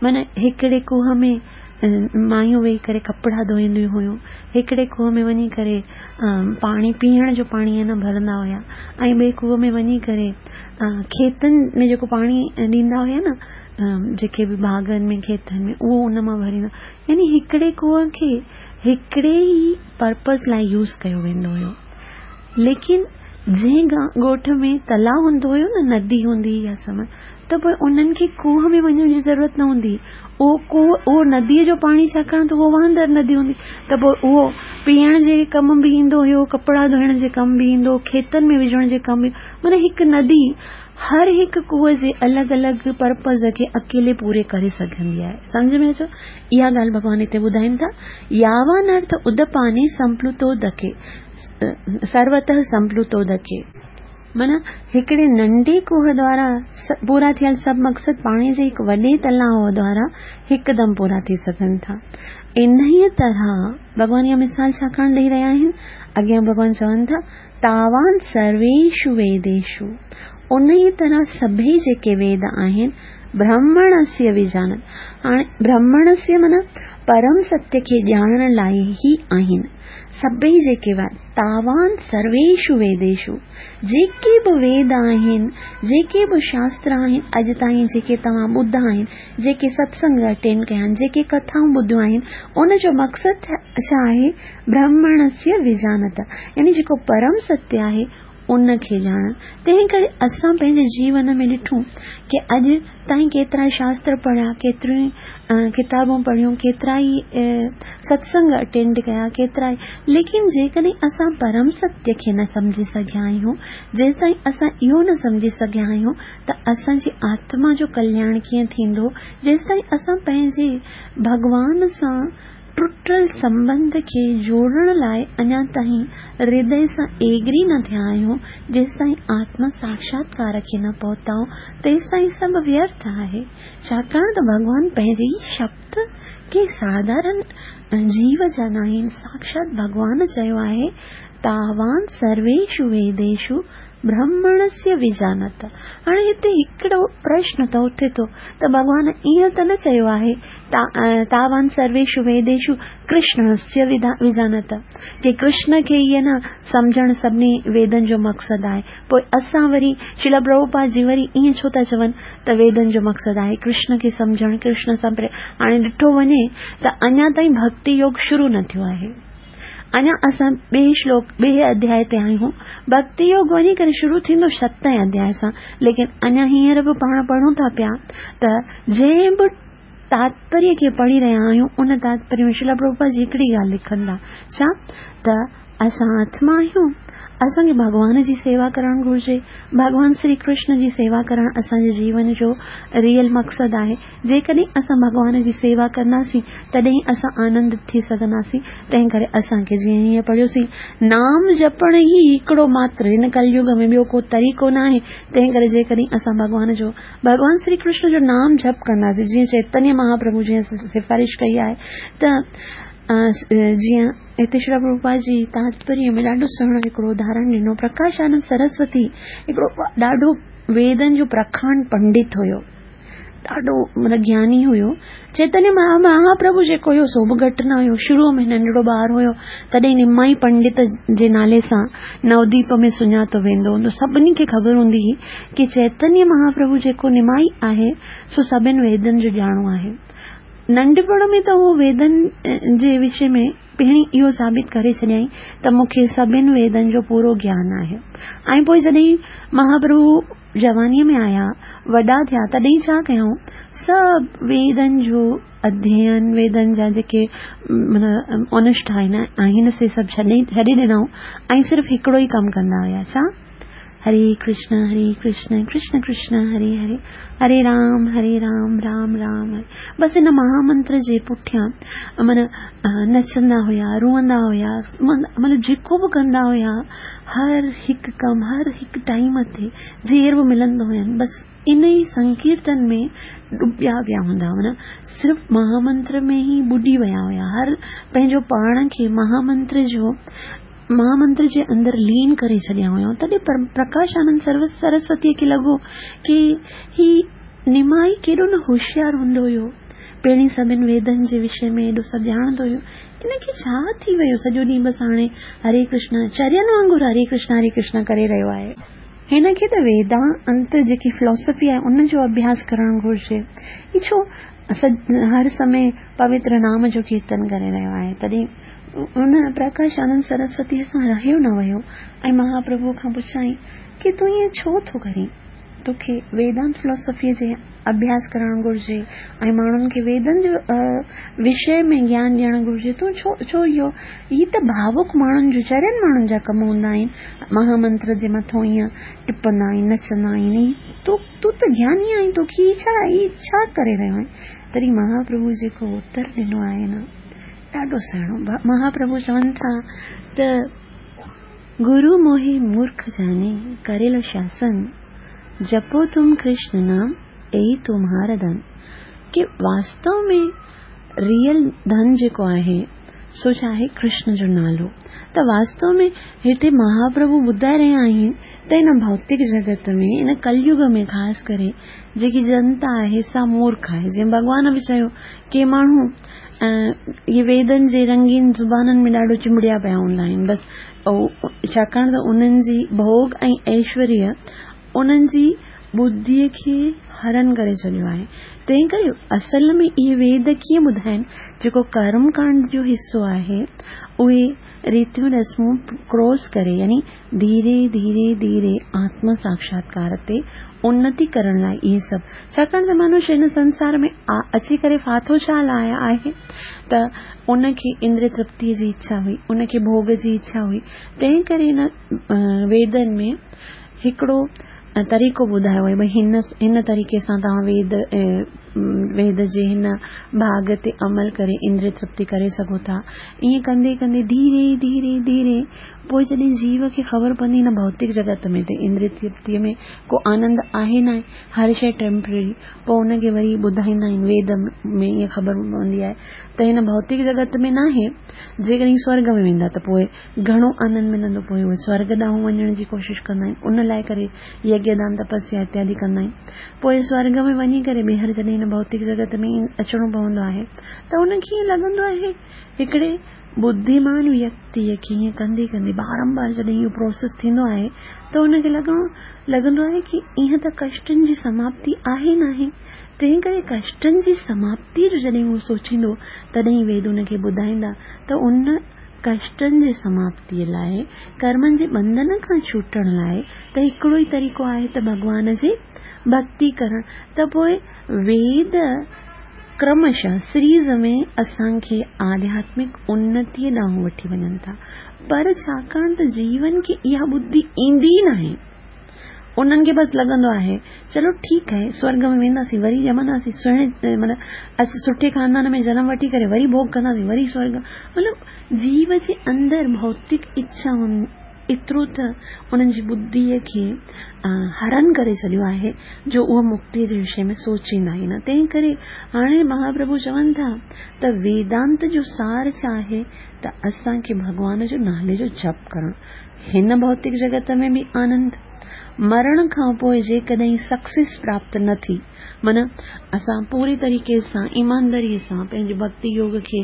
معنيٰ هڪڙي کوهه ۾ مايون ويهي ڪري ڪپڙا ڌوئينديون هيون، هڪڙي کوهه ۾ وڃي ڪري پاڻي پيئڻ جو پاڻي نه ڀرندا هيا ۽ ٻئي کوهه ۾ وڃي ڪري کيتن ۾ جيڪو پاڻي ڏيندا هيا نه جيڪي به باغن ۾ کيتن ۾ اهو ان مان ڀريندا يعني هڪڙي کوهه کي هڪڙي ئي پرپز لاء يوز ڪيو ويندو هيو. ليڪن جنهن ڳوٺ ۾ تلاء هوندو هيو نه ندي هوندي هئي يا سمنڊ ته پوء انهن کي کوهه ۾ وڃڻ جي ضرورت نه هوندي هئي. اهو کوهه اهو نديء جو پاڻي ڇاڪاڻ ته اهو وهندڙ ندي هوندي ته پوء اهو پيئڻ جي ڪم به ايندو هيو، ڪپڙا ڌوئڻ جي ڪم به ايندو، کيتن ۾ وجهڻ جي ڪم به معنيٰ هڪ ندي هر هڪ کوهه جي الڳ الڳ پرپز کي اڪيلي پوري ڪري سگهندي آهي. سمجهه ۾ اچيو؟ اها ڳالهه ڀڳوان هتي ٻڌائين ٿا، ياوان ارٿ ادپاني سمپلوتودڪي، سروتهه سمپلوتودڪي. معنيٰ هڪڙي ننڍي کوهه دوارا پورا ٿيل سڀ مقصد پاڻي جي هڪ وڏي تلاء دوارا هڪدم پورا ٿي سگهن ٿا. انهيء طرح ڀڳوان اها مثال ڇاڪاڻ ڏئي رهيا آهن؟ اڳيان ڀڳوان چون ٿا، تاوان سرويشو ويديشو، انهيء طرح سڀئي جيڪي ويد آهن، برهمڻسيه ويجانت، هاڻي برهمڻسيه معنيٰ پرم ستيه کي ڄاڻڻ لاء ئي آهن، سڀئي جيڪي ويد، تاوان سرويشو ويديشو، جيڪي به ويد آهن، جيڪي به شاستر آهن، اڄ تائين جيڪي توهان ٻڌا آهن، جيڪي ستسنگ اٽينڊ ڪيا آهن، جيڪي ڪٿائون ٻڌيون آهن، ان جو مقصد ڇا آهي؟ برهمڻسيه ويجانت يعني جيڪو پرم ستيه آهي ان کي ڄاڻڻ. تنهن ڪري اسان پنهنجي جيون ۾ ڏٺو ڪي اڄ تائين ڪيترا شاستر پڙهيا، ڪيتريون ڪتابون پڙهيون، ڪيترا ئي ستسنگ اٽينڊ ڪيا، ڪيترا ئي ليڪن جيڪڏهن اسان پرم ستيه کي نه سمجهي سگهيا آهيون، جيستائين اسان اهو نه سمجهي سگهيا آهيون ته اسان جي آتما جو ڪلياڻ ڪيئن ٿيندو، جيستائين اسان پنهنجي ڀڳوان سان ٽٽل سنٻنڌ کي جوڙڻ لاء اڃا تائين هردي سان ايگري نه ٿيا آهيون، جيستائين آتم ساکشاتڪار کي نه پهتا آهيون، تيستائين سڀ ويرٿ آهي. ڇاڪاڻ ته ڀڳوان پنهنجي ئي شبد ڪي ساڌارن جيو جا ناهن، ساکشات ڀڳوان چيو آهي، تاوان سرويشو ويديشو برهمڻسيه ويجانت. هاڻي هتي هڪڙو پرشن ته اٿي ٿو ته ڀڳوان ائين ته نه چيو آهي تاوان سرويشو ويديشو ڪرشنسيه ويجانت ڪي ڪرشن کي ئي نه سمجهڻ سڀني ويدن جو مقصد آهي پوء اسان وري شريلا پرڀوپاد جي وري ائين ڇو ٿا چون ته ويدن جو مقصد آهي ڪرشن کي سمجهڻ ڪرشن سان پريم هاڻي ڏٺو وڃي ته اڃا تائين ڀڳتي يوگ شروع نه ٿيو آهي اڃا اسان ٻئي شلوڪ ٻئي اڌياء تي آهيون. ڀڳتي يوگ وڃي ڪري شروع ٿيندو ستين اڌياء سان، ليڪن اڃا هينئر به پاڻ پڙهون ٿا پيا ته جنهن به تاتپريه کي پڙهي رهيا آهيون ان تاتپريه ۾ شريلا پرڀوپاد جي هڪڙي ڳالهه لکن ٿا، ڇا ته اسان آتما آهيون، اسان کي ڀڳوان جي سيوا ڪرڻ گهرجي، ڀڳوان سري ڪرشن جي سيوا ڪرڻ اسان جي جيون جو ريئل مقصد آهي. جيڪڏهن اسان ڀڳوان جي سيوا ڪنداسين تڏهن ئي اسان آنندت ٿي سگهنداسين، تنهن ڪري اسان کي جيئن هينئر پڙهيوسين، نام جپڻ ئي هڪڙو ماتر هن ڪليگ ۾ ٻيو ڪو طريقو ناهي، تنهن ڪري جيڪڏهن اسان ڀڳوان جو، ڀڳوان سري ڪرشن جو نام جپ ڪنداسين، جيئن چيتنيه مهاپرڀو جيئن سفارش ڪئي آهي ته جيئن هتي شريلا پرڀوپاد جي تاتپريه ۾ ڏاڍو سهڻو هڪڙو اداهرڻ ڏنو، پرڪاش آنند سرسوتي هڪڙو ڏاڍو ويدن جو پرکانڊ پنڊت هيو. ڏاڍو مطلب گياني هيو. چيتنيه مهاپرڀو جيڪو هيو سو به گهٽ نه هيو. شروع ۾ ننڍڙو ٻار هيو تڏهن نمائي پنڊت جي نالي سان نوديپ ۾ سڃاتو ويندو هوندو. سڀني کي خبر هوندي هئي ڪي چيتنيه مهاپرڀو جيڪو نمائي آهي سو سڀن ويدن جو ڄاڻو آهي. ننڍپڻ ۾ ته هو ويدن جي وشي ۾ پهرين اهو ثابت ڪري ڇڏيائين ته مون کي سڀن ويدن جو پورو گيان آهي ۽ پوء جڏهن مهاپرڀو جوانيء ۾ آيا، وڏا ٿيا، تڏهن ڇا ڪيائون؟ سڀ ويدن جو اڌيين، ويدن جا جيڪي معنيٰ انوشٺان آهن، سي سڀ ڇڏي ڏنائون ۽ صرف هڪڙو ئي ڪم ڪندا هيا، ڇا؟ هري ڪرشن هري ڪرشن ڪرشن ڪرشن هري هري هري رام هري رام رام رام هري بس ان مهامنتر جي پٺيان معنيٰ نچندا هيا، روئندا هيا، مطلب جيڪو به ڪندا هيا، هر هڪ ڪم هر هڪ ٽائيم تي جير به ملندو هين بس ان ئي سنڪيرتن ۾ ڏبيا پيا هوندا هئا صرف مهامنتر ۾ ئي ٻڏي ويا هيا هر پنهنجو پاڻ کي مهامنتر جو مهامنتر جي اندر لين ڪري ڇڏيا هيائون. تڏهن پرڪاش آنند سرسوتيء کي لڳو ڪي هي نمائي ڪيڏو نه هوشيار هوندو هيو. پهرين سڀن ويدن جي وشي ۾ ايڏو سڀ ڄاڻندو هيو. ان کي ڇا ٿي ويو سڄو ڏينهن بس هاڻي هري ڪرشنا چرين وانگر هري ڪرشنا هري ڪرشنا ڪري رهيو آهي. هن کي ته ويدانت جيڪي فلاسافي آهي ان جو اڀياس ڪرڻ گهرجي. هي ڇو هر سمي پوتر نام جو ڪيرتن ڪري رهيو آهي. تڏهن ان پرڪاش آنند سرسوتيء سان رهيو نه ويو ۽ مهاپرڀوء کان پڇيائين ڪي تون ائين ڇو ٿو ڪرين؟ توکي ويدانت فلاسافيء جي اڀياس ڪرڻ گهرجي ۽ ماڻهن کي ويدن جو وشي ۾ گيان ڏيڻ گهرجي. تون ڇو ڇو اهو هي ته ڀاوڪ ماڻهن جو چرين ماڻهن جا ڪم هوندا آهن. مهامنتر جي مٿو ائين ٽپندا آهن نچندا آهن. هي تون ته گياني آهين توکي هي ڇا هي ڇا ڪري رهيو آهين؟ تڏهن مهاپرڀو جيڪو اتر ڏنو آهي نه ڏاڍو سهڻو. مهاپرڀو چون ٿا ته. گرو موهي مورک جاني ڪريل شاسن، جپو تم ڪرشن نام ايهي تمهار ڌن. ڪي واستو ۾ ريئل ڌن جيڪو آهي سو ڇا آهي ڪرشن جو نالو. ته واستو ۾ هتي مهاپرڀو ٻڌائي رهيا آهن ته هن ڀوتڪ جڳت ۾ هن ڪليگ ۾ خاص ڪري جيڪي جنتا آهي سا مورک آهي جيئن ڀڳوان به چيو ڪي ماڻهو اهي ويدن جي رنگين زبانن ۾ ڏاڍو چنبڙيا پيا هوندا آهن بس ڇاڪاڻ ته انهن جي ڀوڳ ۽ ايشوريه انهن جي ٻڌيء کي هرڻ ڪري ڇڏيو آهي تنهن ڪري اصل ۾ اهي ويد ڪيئن ٻڌائين جيڪو ڪرم ڪانڊ جو حصو آهي اهي ريتيون رسمون ڪراس ڪري يعني ڌيري ڌيري ڌيري آتم ساڪشاتڪار تي انتي ڪرڻ لاء اهي سڀ ڇاڪاڻ ته منش هن سنسار ۾ اچي ڪري ڦاٿو ڇا لاء آهي ته ان کي اندري ترپتيء جي اڇا هئي ان کي ڀوڳ جي اڇا هئي تنهن ڪري هن ويدن ۾ هڪڙو طريقو ٻڌايو ويو ڀئي هن هن طريقي سان توهان ويد ويد جي هن ڀاڳ تي عمل ڪري اندري ترپتي ڪري سگهو ٿا ائين ڪندي ڪندي ڌيري ڌيري ڌيري پوء جڏهن جيو کي خبر پوندي هن ڀوتڪ جڳت ۾ ته اندري ترپتيء ۾ ڪو آنند آهي ناهي، هر شيء ٽيمپرري، پوء ان کي وري ٻڌائيندا آهن ويد ۾ ائين خبر پوندي آهي ته هن ڀوتڪ جڳت ۾ ناهي، جيڪڏهن سورڳ ۾ ويندا ته پوء گهڻو آنند ملندو، پوء اهي سورڳ ڏانهن وڃڻ جي ڪوشش ڪندا آهن، ان لاء ڪري يگيه دان تپسيا اتيادي ڪندا آهن، پوء سورڳ ۾ وڃي ڪري ٻيهر جڏهن هن ڀوتڪ جڳت ۾ اچڻو پوندو آهي ته ان کي ائين لڳندو آهي هڪڙي ٻڌيمان ويڪتيء کي ائين ڪندي ڪندي بارمبار جڏهن اهو پروسيس ٿيندو آهي ته ان کي لڳڻ لڳندو آهي ڪي ائين ته ڪشٽن جي سماپتي آهي ناهي تنهن ڪري ڪشٽن جي سماپتي جو جڏهن هو سوچيندو تڏهن ويد ان کي ٻڌائيندا ته ان ڪشٽن جي سماپتي لاء ڪرمن جي ٻنڌن کان ڇوٽڻ لاء ته هڪڙو ئي طريقو آهي ته ڀڳوان جي ڀڳتي ڪرڻ ته پوء ويد ڪرمشه سريز ۾ اسان کي آڌياتمڪ انتيء ڏانهن وٺي وڃن ٿا، پر ڇاڪاڻ ته جيون کي اها ٻڌي ايندي ئي ناهي، انهن کي بس لڳندو آهي، چلو ٺيڪ آهي، سورڳ ۾ وينداسين، وري ڄمنداسين، سهڻي مطلب اسين سٺي خاندان ۾ جنم وٺي ڪري وري ڀوڳ ڪنداسين، وري سورڳ، مطلب جيو جي اندر ڀوتڪ اڇائن ايترو ته انهن جي ٻڌيء کي هرڻ ڪري ڇڏيو آهي جو اهي مڪتيء جي وشي ۾ سوچيندا ئي نه. تنهن ڪري هاڻي مهاپرڀو چون ٿا ته ويدانت جو سار ڇا آهي ته اسان کي ڀڳوان جو نالي جو جپ ڪرڻ. هن ڀوتڪ جڳت ۾ به آنند. مرڻ کان پوء جيڪڏهن سڪسيس پراپت نه ٿي معنيٰ اسان پوري طريقي سان ايمانداريء سان پنهنجي ڀڳتي يوگ کي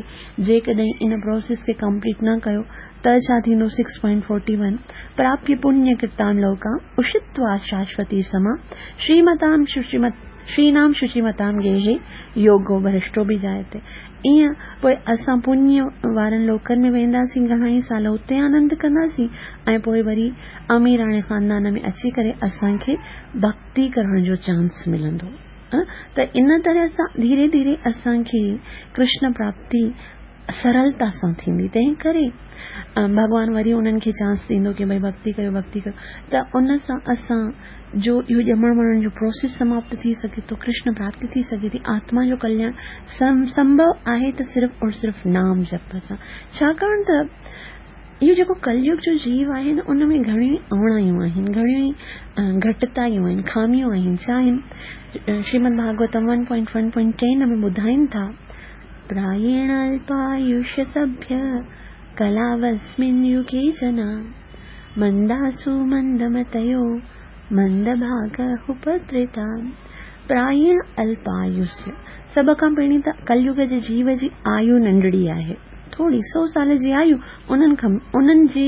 جيڪڏهن ان پروسيس کي ڪمپليٽ نه ڪيو ته ڇا ٿيندو سڪس پوائنٽ فورٽي ون پراپيه پڃ ڪرتان لوڪان اشتوا شاشوتي سما شريمتام ششيمت شرينام ششيمتام گيهي يوگو ڀرشٽو به جائتي ائين پوء اسان پڃ وارن لوڪن ۾ وينداسين گهڻا ئي سال اتي آنند ڪنداسين ۽ پوء وري اميراڻي خاندان ۾ اچي ڪري اسان کي ڀڳتي ڪرڻ جو چانس ملندو ته ان طرح سان ڌيري ڌيري اسان کي ڪرشن پراپتي سرلتا سان ٿيندي تنهن ڪري ڀڳوان وري انهن کي چانس ڏيندو ڪي ڀئي ڀڳتي ڪيو ڀڳتي ڪيو ته ان سان اسان جو اهو ڄمڻ مرڻ جو پروسيس سماپت ٿي سگهي ٿو ڪرشن پراپتي ٿي سگهي ٿي آتما جو ڪلياڻ سمڀو آهي ته صرف اور صرف نام جپ سان ڇاڪاڻ ته اهو جيڪو ڪليگ جو جيو آهي نه ان ۾ گهڻيون ئي اوڻايون آهن گهڻيون ئي گهٽتايون آهن خاميون آهن ڇا آهن شريمد ڀاڳوتم one point one point ten ۾ ٻڌائين ٿا پرائيڻ الپايوش سڀيه ڪلاوسمن يگي جنا منداسو مندمتيو مندڀاڳ اپدرتا. پرائڻ الپايوسيه، سڀ کان پهرين ته ڪليگ جي جيو جي آيو ننڍڙي آهي، ٿوري سو سال جي آيو انهن کان انهن جي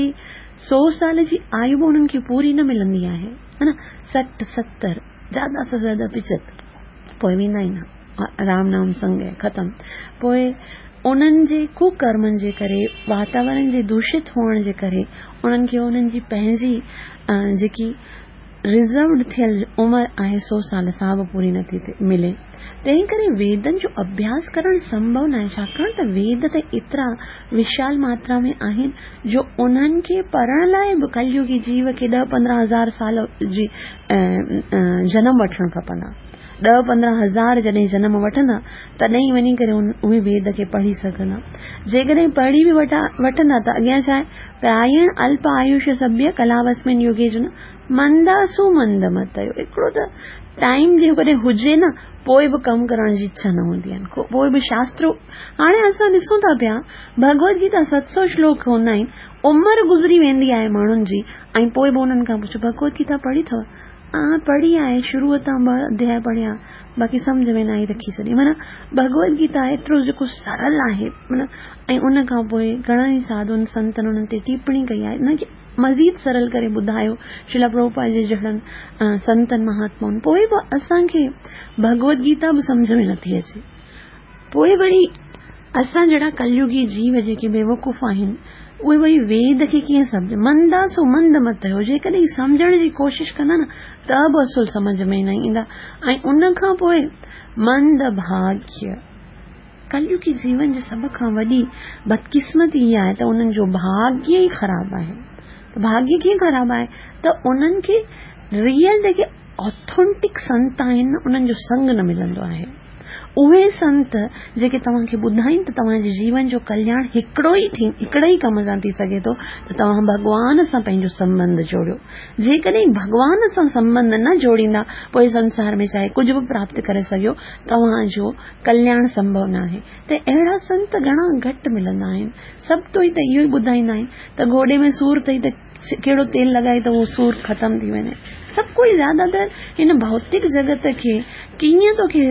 سو سال جي آيو به انهن کي پوري نه ملندي آهي، ها نه 60 70 زياده سان زياده 75 پوء ويندا ئي نه، رام نام سنگ ختم. پوء انهن جي ڪوڪرمن جي ڪري، واتاورڻ جي دوشت هئڻ جي ڪري انهن کي انهن جي پنهنجي جيڪي رزروڊ ٿيل عمر آهي سو سال سا به پوري نٿي ملي. تنهن ڪري ويدن جو اڀياس ڪرڻ سنڀو ناهي، ڇاڪاڻ ته ويد ته ايترا وشال ماترا ۾ آهن جو انهن کي پڙهڻ لاء به ڪليگي جيو کي ڏهه پندرهن هزار سال جي جنم وٺڻ کپندا. ڏهه پندرهن هزار جڏهن جنم وٺندا تڏهن ئي وڃي ڪري اهي ويد کي پڙهي سگهندا. جيڪڏهن پڙهي به وٺندا ته اڳيان ڇا آهي؟ پرائڻ الپ آيوش سڀيه ڪلاوسمن يگي جن منداسو مند متيو. هڪڙو ته ٽائيم جيڪڏهن هجي نه پوء به ڪم ڪرڻ جي اڇا نه هوندي آهي، پوء به شاستر هاڻي اسان ڏسون ٿا پيا ڀڳوت گيتا 700 شلوڪ هوندا آهن، عمر گذري ويندي آهي ماڻهن جي ۽ پوء به انهن کان پڇو ڀڳوت گيتا پڙهي اٿو؟ ها پڙهي آهي، شروع تان ٻه اڌياء پڙهيا، باقي سمجهه ۾ نه آئي رکي ڇڏي. معنيٰ ڀڳوت گيتا ايترو جيڪو سرل آهي معنيٰ ۽ ان کان پوء گهڻن ئي ساڌن سنتن انهن تي ٽيپڻي ڪئي آهي، ان کي مزيد سرل ڪري ٻڌايو شريلا پرڀوپاد جي جهڙن سنتن مهاتمائن، پوء به اسان کي ڀڳوت گيتا به سمجهه ۾ نٿي اچي. پوء وري اسان جهڙا ڪليگي جيو جيڪي بيوقوف آهن اهي وري ويد کي ڪيئن سمجهن؟ مندا سو مند مت هيو، جيڪڏهن سمجهڻ جي ڪوشش ڪندا نه ته به اصل سمجهه ۾ نه ايندا. ۽ ان کان پوء مند ڀاڳيه، ڪليگي جيون جي سڀ کان وڏي بدقسمتي اها آهي ته انهن جو ڀاڳيه ئي خراب آهي. ته ڀاڳيه ڪيئن خراب آهي؟ ته انهن کي ريئل جيڪي آٿينٽڪ سنت آهن انهن جو سنگ نه ملندو آهي. اهي سنت جيڪي توهان کي ٻڌائين ته توهان جي جيون جو ڪلياڻ هڪڙو ئي ٿي هڪڙي ئي ڪم سان ٿي سگهي ٿو ته توهان ڀڳوان سان پنهنجو سنٻنڌ جوڙيو. جيڪڏهن ڀڳوان سان سنٻنڌ نه جوڙيندا پوء سنسار ۾ چاهي ڪجهه به پراپت ڪري سگهيو توهان جو ڪلياڻ سنڀو ناهي. ته اهڙا سنت گهڻا گهٽ ملندا آهن. سڀ تو ئي ته اهو ئي ٻڌائيندا آهن ته گوڏي ۾ سور اٿئي ته ڪهڙو تيل لڳائي ته اهو سور ختم ٿي وڃي. سڀ ڪوئي زياده تر هن ڀوتڪ جڳت کي ڪيئن توکي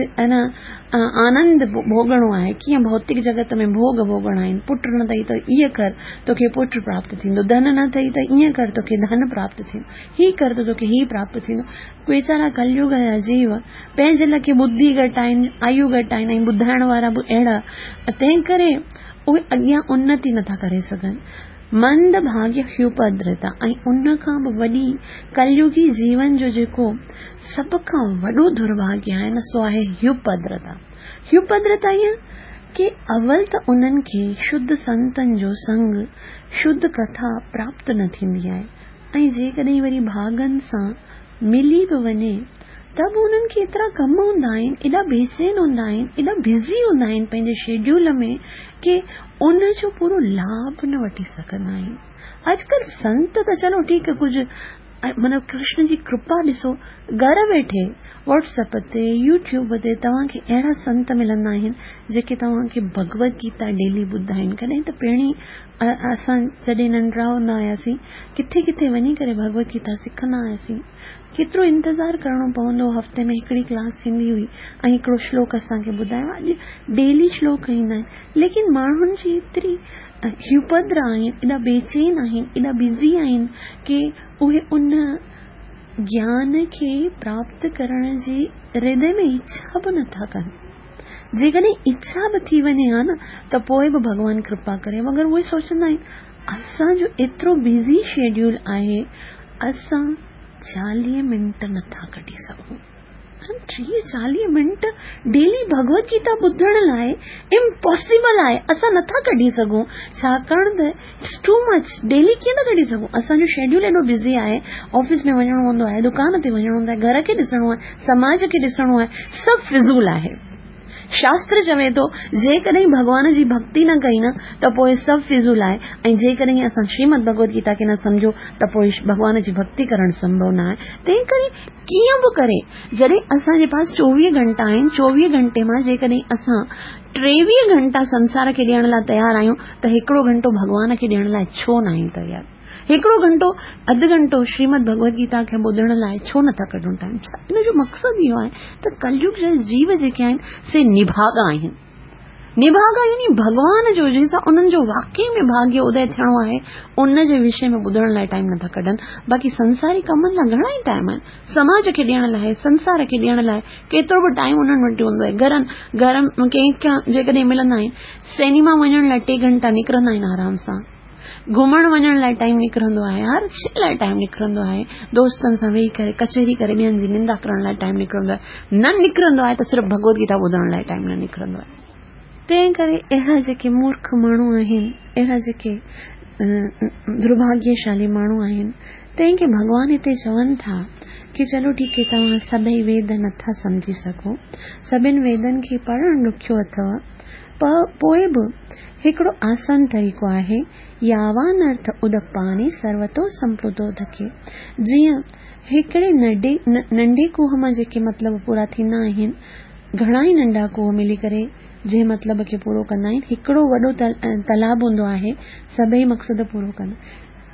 آنند ڀوڳڻو آهي، ڪيئن ڀوتڪ جڳت ۾ ڀوڳ ڀوڳڻا آهن. پٽ نه اٿئي ته ائين ڪر توکي پٽ پراپت ٿيندو، ڌن نه اٿئي ته ائين ڪر توکي ڌن پراپت ٿيندو، هي ڪر ته توکي هي پراپت ٿيندو. ويچارا ڪليگ جا جيو پنهنجي لکي ٻڌي گهٽ آهن، آيو گهٽ آهن ۽ ٻڌائڻ وارا به اهڙا، تنهن ڪري اهي اڳيان انتي نٿا ڪري سگهن. مند ڀاڳيه هيوپدرتا ۽ ان کان به وڏي ڪليگي جيون جو جيڪو سڀ کان وڏو درڀاڳيه آهي نه سو آهي هيوپدرتا. هيوپدرتا ائين ڪي اول ته انهن کي شڌ سنتن جو سنگ، شڌ ڪٿا پراپت نه ٿيندي آهي ۽ جيڪڏهن وري ڀاڳن سان ملي به وڃي ته به انهن کي ايترا ڪم هوندا آهن، ايڏا بيچين هوندا آهن، ايڏا بزي هوندا آهن پنهنجي شيڊيول ۾ ڪي ان جو پورو لاڀ نه وٺي سگهندا آهن. اڄڪلهه سنت ته چلو ٺيڪ ڪجهه معنيٰ ڪرشن جي ڪرپا ڏسو گهر ويٺي واٽس اپ تي يوٽيوب تي توهان کي اهڙا سنت ملندا آهن جيڪي توهان کي ڀڳوت گيتا ڊيلي ٻڌائين. ڪڏهن ته پهرين اسان جڏهن ننڍڙا هوندا هياسين ڪٿي ڪٿي وڃي ڪري ڀڳوت گيتا سکندا هياسين. ڪيترو انتظار ڪرڻو پوندو هو، هفتي ۾ هڪڙي ڪلاس ٿيندي هئي ۽ هڪڙو شلوڪ اسان کي ٻڌايو. اڄ ڊيلي شلوڪ ايندا آهن ليڪن ماڻهن جي ايتري هيوپدرا آهن، ايڏا بيچين آهن، ايڏا بزي آهن ڪي اهي ان گيان کي پراپت ڪرڻ جي هردي ۾ اڇا به نٿا ڪن. جيڪڏهن اڇا به ٿي وڃي ها نه ته پوء به ڀڳوان ڪرپا ڪري، مگر اهي سوچندا آهن اسان جو ايترو بزي شيڊيول آهي اسان 40 منٽ نٿا ڪڍي سگهون. 30 40 منٽ ڊيلي ڀڳوت گيتا ٻڌڻ لاء امپاسيبل آهي، اسان نٿا ڪڍي سگهون، ڇاڪاڻ ته it's too much. Daily ڪيئن ٿا ڪڍي سگهون؟ اسان جو شيڊيول ايڏو بزي آهي، آفيس ۾ وڃڻو هوندو آهي، دڪان تي وڃڻو هوندو آهي، گهر کي ڏسڻو آهي، سماج کي ڏسڻو آهي، سڀ فضول آهي. شاستر چوي ٿو، جيڪڏهن ڀڳوان جي ڀڳتي نه ڪئي نه ته پوء سڀ فضول آهي ۽ جيڪڏهن اسان شريمد ڀڳوت گيتا کي نه سمجهيو ته پوء ڀڳوان جي ڀڳتي ڪرڻ سنڀو نه آهي. تنهن ڪري ڪيئن به ڪري جڏهن اسان جي پاس 24 گهنٽا آهن، 24 گهنٽي مان جيڪڏهن اسان 23 گهنٽا سنسار کي ڏيڻ لاء تيار آهيون ته هڪڙو گهنٽو ڀڳوان کي ڏيڻ لاء ڇو نه آهيون تيار؟ هڪڙو گهنٽو، اڌ گهنٽو شريمد ڀڳوت گيتا کي ٻڌڻ لاء ڇو نٿا ڪڍون ٽائيم؟ ڇا ان جو مقصد اهو آهي ته ڪليگ جا جيو جيڪي آهن سي نڀاڳا آهن. نڀاڳا يعني ڀڳوان جو جنهن سان انهن جو واقعي ۾ ڀاڳيه ادي ٿيڻو آهي ان جي وشي ۾ ٻڌڻ لاء ٽائيم نٿا ڪڍن. باقي سنساري ڪمن لاء گهڻا ئي ٽائيم آهن. سماج کي ڏيڻ لاء، سنسار کي ڏيڻ لاء ڪيترو به ٽائيم انهن وٽ هوندو آهي. گهرن گهر ڪنهن کان جيڪڏهن ملندا آهن سئنيما وڃڻ لاء 3 گهنٽا نڪرندا آهن آرام سان. گهمڻ وڃڻ لاء ٽائيم نڪرندو آهي، هر شيء لاء ٽائيم نڪرندو آهي، دوستن سان ويهي ڪري ڪچهري ڪري ٻين جي نندا ڪرڻ لاء ٽائيم نڪرندو آهي، نه نڪرندو آهي ته صرف ڀڳوت گيتا ٻڌڻ لاء ٽائيم نه نڪرندو آهي. تنهن ڪري اهڙا جيڪي مورک ماڻهو آهن، اهڙا جيڪي درڀاڳيشالي ماڻهو آهن، تنهن کي ڀڳوان هتي چون ٿا ڪي چلو ٺيڪ هي توهان سڀئي ويد نٿا سمجهي سگهو، سڀن ويدن کي پڙهڻ ڏکيو اٿو، پوء به هڪڙو آسان طريقو آهي، ياوان ارٿ ادپاني سروتو سمپلوتو ڌڪي. جيئن هڪڙي ننڍي کوهه مان جيڪي مطلب پورا ٿيندا آهن، گهڻا ئي ننڍا کوهه ملي ڪري جنهن مطلب کي پورو ڪندا آهن، هڪڙو وڏو تالاب هوندو آهي، سڀئي مقصد پورو ڪندو.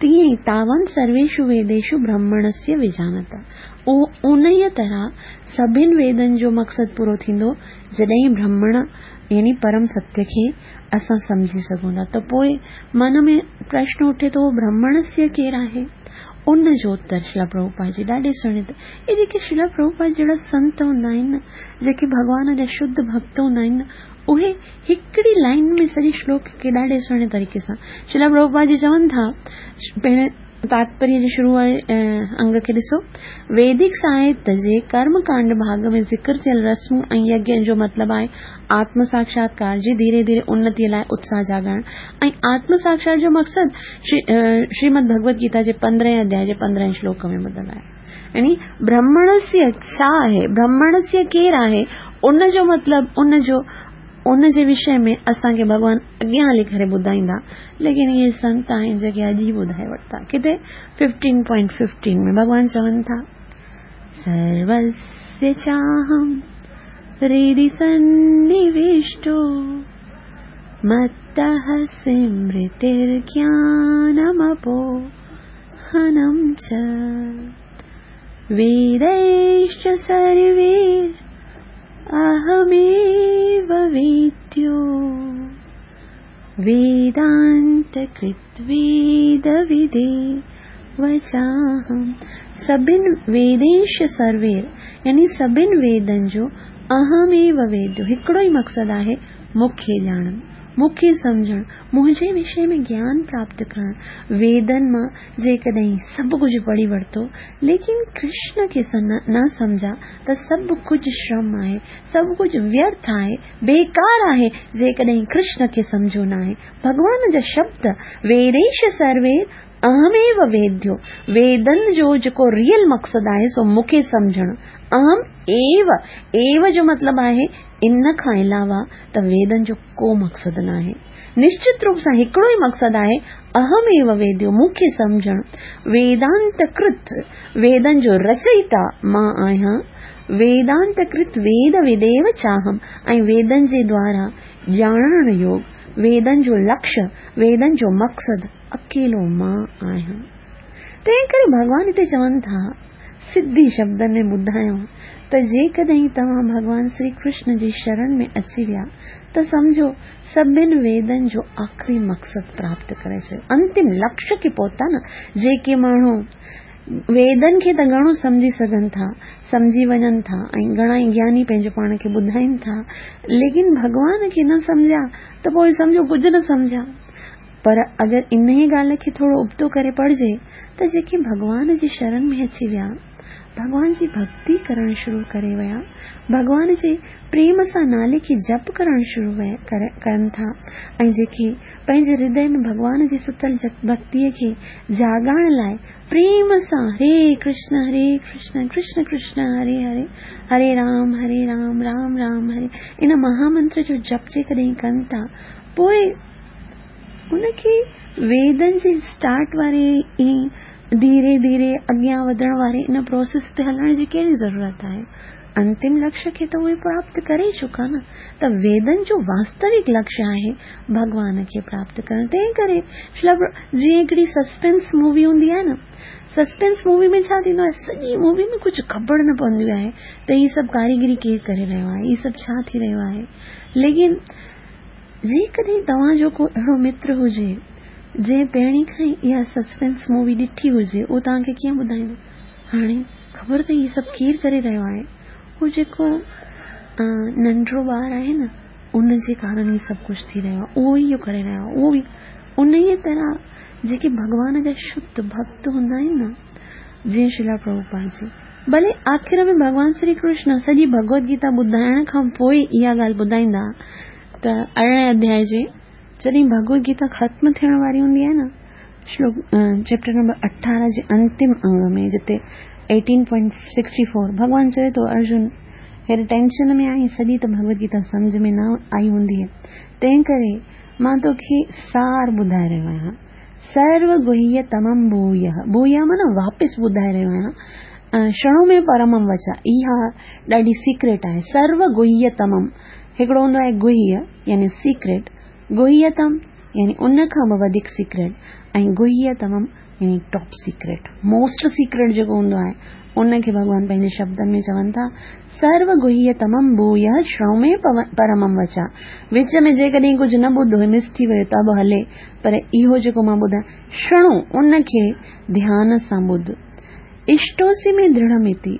تيئن ئي تاوان سرويشو ويديشو برهمڻسيه ويجانتا. انهيء طرح سڀن ويدن جو مقصد پورو ٿيندو، جڏهن برهمڻ يعني پرم ستيه کي اسان سمجهي سگهون ٿا ته پوء من ۾ پرشن اٺي ٿو برهمڻسيه ڪير آهي؟ ان جو اتر شريلا پرڀوپاد جي ڏاڍي سهڻي ته اهي جيڪي شريلا پرڀوپاد جهڙا سنت هوندا آهن نه، جيڪي ڀڳوان جا شڌ ڀڳت هوندا آهن نه، اهي هڪڙي لائين ۾ سڄي شلوڪ کي ڏاڍي سهڻي طريقي سان شريلا پرڀوپاد جي چون ٿا. پهرين تاتپريه جي شروع واري انگ کي ڏسو. ويدڪ ساهت جي ڪرم ڪانڊ ڀاڳ ۾ ذڪر ٿيل رسمون ۽ يگين جو مطلب آهي آتم ساکشاتڪار جي ڌيري ڌيري انتيء لاء اتساهه جاڳائڻ ۽ آتم ساکشات جو مقصد شريمد ڀڳوت گيتا جي پندرهين اڌياء جي پندرهين شلوڪ ۾ ٻڌل آهي. يعني برهمڻسيه ڇا آهي، برهمڻسيه ڪير آهي، ان جو مطلب ان جو ان جي وشي ۾ اسان کي ڀڳوان اڳيان هلي ڪري ٻڌائيندا، ليڪن اهي سنت آهن جيڪي اڄ ئي ٻڌائي ورتا. ڪٿي 15.15 ۾ ڀڳوان چون ٿا، سروسيه چاهم هردي سنوشٽو متः سمرترگيانمپوهنم چ ويديشچ سروير اهميو ويديو ويدانت ڪرت ويد ودي وچاهم. سڀن ويديش سروير يعني سڀن ويدن جو اهميو ويديو هڪڙو ئي مقصد آهي مون کي ڄاڻڻ، مون کي سمجهڻ، منهنجي وشي ۾ گيان پراپت ڪرڻ. ويدن مان جيڪڏهن سڀ ڪجهه پڙهي ورتو ليڪن ڪرشن کي نه سمجها ته سڀ ڪجهه شرم آهي، سڀ ڪجهه ويرٿ آهي، بيڪار آهي، جيڪڏهن ڪرشن کي سمجهيو ناهي. ڀڳوان جا شبد، ويديش سروير اهميو ويديو، ويدن جو جيڪو ريئل مقصد آهي سو مون کي سمجهڻ، اهم ايو، ايو جو مطلب آهي ان کان علاوه ته ويدن جو ڪو مقصد ناهي. نشچت روپ سان هڪڙو ئي مقصد آهي، اهم ايو ويديو، مون کي سمجهڻ. ويدانت ڪرت، ويدن جو رچئيتا مان آهيان. ويدانت ڪرت ويد وديو چاهم ۽ ويدن جي دوارا ڄاڻڻ يوگ، ويدن جو لڪش، ويدن جو مقصد اڪيلو مان آهيان. تنهن ڪري ڀڳوان هتي چون ٿا، سڌي شبدن ۾ ٻڌايو ته جيڪڏهن توهان ڀڳوان سري ڪرشن جي شرڻ ۾ اچي ويا ته سمجهو سڀن ويدن جو آخري مقصد پراپت ڪري ڇڏيو، انتم لڪش کي پهتا نه. جيڪي ماڻهو ويدن کي ته گهڻو سمجهي سگهن ٿا، سمجهي وڃن ٿا ۽ گهڻا ئي گياني پنهنجو پاڻ کي ٻڌائين ٿا، ليڪن ڀڳوان کي نه سمجهيا ته پوء سمجهو ڪجهه نه سمجهيا. پر اگر انهيء ڳالهه کي ٿورو ابتو ڪري پڙهجي ته جيڪي ڀڳوان جي شرن ۾ اچي ويا، ڀڳوان جي ڀڳتي ڪرڻ شروع ڪري ويا، ڀڳوان جي پريم سان نالي کي جپ ڪرڻ شروع ڪن ٿا ۽ جيڪي پنهنجي هردي ۾ ڀڳوان جي ستل ڀڳتيء کي جاڳائڻ لاء پريم سان هري ڪرشن هري ڪرشن ڪرشن ڪرشن هري هري هري رام هري رام رام رام هري ان مهامنتر جو جپ جيڪڏهن ڪن ٿا پوء ان کي ويدن جي اسٽارٽ واري ۽ ڌيري ڌيري اڳيان وڌڻ واري ان پروسيس تي هلڻ جي ڪهڙي ضرورت آهي؟ انتم لڪشيه کي ته اهي پراپت ڪري چڪا نه ته ويدن جو واستوڪ لڪشيه آهي ڀڳوان کي پراپت ڪرڻ تنهن ڪري جيئن هڪڙي سسپينس مووي هوندي آهي نه سسپينس مووي ۾ ڇا ٿيندو آهي سڄي مووي ۾ ڪجهه خبر نه پوندي آهي ته هي سڀ ڪاريگري ڪير ڪري رهيو آهي هي سڀ ڇا ٿي رهيو آهي ليڪن جيڪڏهن توهان جو ڪو اهڙو متر هجي جنهن پهرين کان ئي اها سسپينس مووي ڏٺي هجي اهو توهان کي ڪيئن ٻڌائيندو هاڻي خبر اٿئي هي سڀ ڪير ڪري رهيو آهي؟ هو جيڪو ننڍڙو ٻار آهي نه ان جي ڪارڻ هي سڀ ڪجهه ٿي رهيو آهي اهو ئي اهو ڪري رهيو آهي اهو ئي انهيء طرح جيڪي ڀڳوان جا شڌ ڀڳت هوندا آهن نه جيئن شريلا پرڀوپاد جي ڀلي آخر ۾ ڀڳوان شري ڪرشن سڄي ڀڳوت گيتا ٻڌائڻ کان پوء اها ڳالهه ٻڌائيندا ته ارڙهين اڌيائي جي جڏهن ڀڳوت گيتا ختم ٿيڻ واري هوندي آهي نه شلوڪ چيپٽر نمبر 18 جي انتم انگ ۾ جتي 18.64 ڀڳوان چوي ٿو ارجن هيڏي ٽينشن ۾ آهين سڄي ته ڀڳوت گيتا سمجهه ۾ نه آئي هوندي تنهن ڪري مان توکي سار ٻڌائي رهيو آهيان سرو گهيه تمم ڀويه ڀويه معنيٰ واپس ٻڌائي رهيو آهيان شڻو ۾ پرمم وچا اها ڏاڍي سيڪريٽ آهي سرو گهيه تمم هڪڙو هوندو آهي گهيه يعني سيڪريٽ گهيتم يعني ان کان به وڌيڪ سيڪريٽ ۽ گهيتمم يعني ٽاپ سيڪريٽ موسٽ سيڪريٽ جيڪو هوندو آهي ان کي ڀڳوان پنهنجي شبدن ۾ چون ٿا سرو گهيتمم ڀويه شڻو ۾ پرمم وچا وچ ۾ جيڪڏهن ڪجهه نه ٻڌو مس ٿي ويو ته به هلي پر اهو جيڪو مان ٻڌايان شڻو ان کي ڌيان سان ٻڌ اشٽوسي ۾ درڙهمتي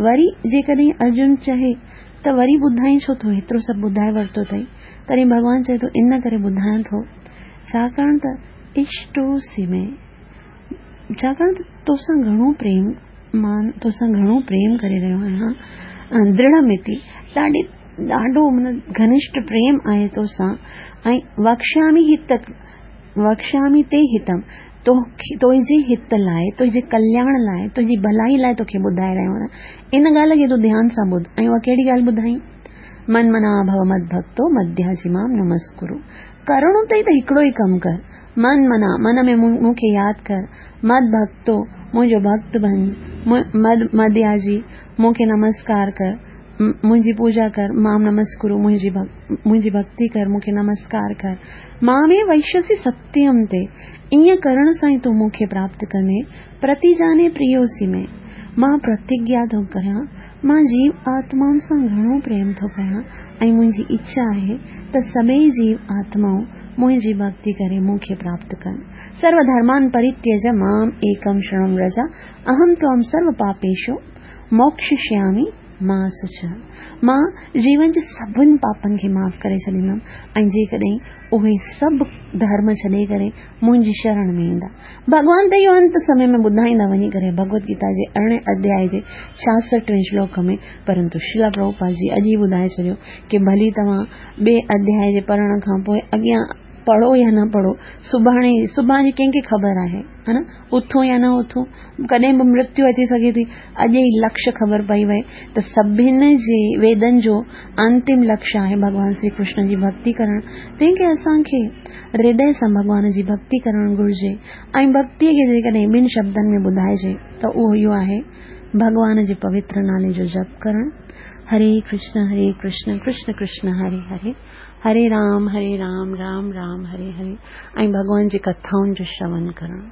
وري جيڪڏهن ارجن چوي ته وري ٻڌائين ڇو ٿو، هيترو سڀ ٻڌائي ورتو اٿئي. تڏهن ڀڳوان چئي ٿو، ان ڪري ٻڌايان ٿو، ڇاڪاڻ ته اشٽوسي ۾، ڇاڪاڻ ته توسان گهڻو پريم، مان توسان گهڻو پريم ڪري رهيو آهيان، درڙهمتي، ڏاڍي، ڏاڍو معنيٰ گهنشٽ پريم آهي توسان، ۽ وڪشيامي هت، وڪشيامي تي هتم، تنهنجي هت لاء، تنهنجي ڪلياڻ لاء، تنهنجي ڀلائي لاء توکي ٻڌائي رهيو آهيان. ان ڳالهه کي تون ڌيان سان ٻڌ. ۽ اها ڪهڙي ڳالهه ٻڌائين؟ من منا ڀو مد ڀڳتو مدياجي مام نمسڪرو. ڪرڻو اٿئي ته هڪڙو ئي ڪم ڪر. من منا، من ۾ مون کي ياد ڪر. مد ڀڳتو، منهنجو ڀڳت بنج. مدياجي، مون کي نمسڪار ڪر. منهنجي پوڄا ڪر، مام نمسڪرو، منهنجي ڀڳتي ڪر، مون کي نمسڪار ڪر. مامي وئشيسي ستيم تي، ائين ڪرڻ سان ئي تون مون کي پراپت ڪندين، پرتيجاني پريوسي ۾. مان پرتگيا ٿو ڪريان، مان جيو آتمائن سان گهڻو پريم ٿو ڪيان ۽ منهنجي اڇا آهي ته سڀئي جيو آتمائون منهنجي ڀڳتي ڪري مون کي پراپت ڪن. سرو ڌرمان پريتيج مام ايڪم شرڻم رج، اهم توام سرو پاپيشو موڪششيامي ما شچ. مان جيون جي سڀن پاپن کي معاف ڪري ڇڏيندم ۽ جيڪڏهن اهي سڀ ڌرم ڇڏي ڪري منهنجي شرڻ ۾ ايندا. ڀڳوان ته اهو انت سمي ۾ ٻڌائيندا وڃي ڪري ڀڳوت گيتا جي ارڙهين اڌيائي جي ڇاهٺ وين شلوڪ ۾ پرنتو شريلا پرڀوپاد جي اڄ ئي ٻڌائي ڇڏيو ڪي ڀلي توهان ٻئي اڌيائي جي پڙهڻ کان پوء اڳيان پڙهو يا نه پڙهو سڀاڻي سڀاڻي جي ڪنهن کي خبر آهي ها نه اٿون يا نه اٿون ڪڏهن به مرتيو اچي سگهي ٿي اڄ ئي لڪش خبر پئي وئي ته سڀن جي ويدن جو انتم لڪش آهي ڀڳوان شري ڪرشن جي ڀڳتي ڪرڻ تنهن کي اسان کي هردي سان ڀڳوان جي ڀڳتي ڪرڻ گهرجي ۽ ڀڳتي کي جيڪڏهن ٻن شبدن ۾ ٻڌائجي ته اهو اهو آهي ڀڳوان جي پوتر نالي جو جپ ڪرڻ هري ڪرشن هري ڪرشن ڪرشن ڪرشن هري هري هري رام هري رام رام رام هري هري ۽ ڀڳوان جي ڪٿائن جو شرون ڪرڻ.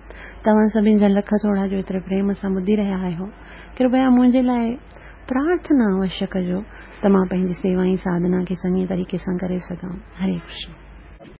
توهان سڀني جا لک ٿورا جو ايتري پريم سان ٻڌي رهيا آهيو. ڪرپيا منهنجي لاء پرارٿنا اوشيه ڪجو ته مان پنهنجي سيوا ۽ ساڌنا کي چڱي طريقي سان ڪري سگهان. هري ڪرشن.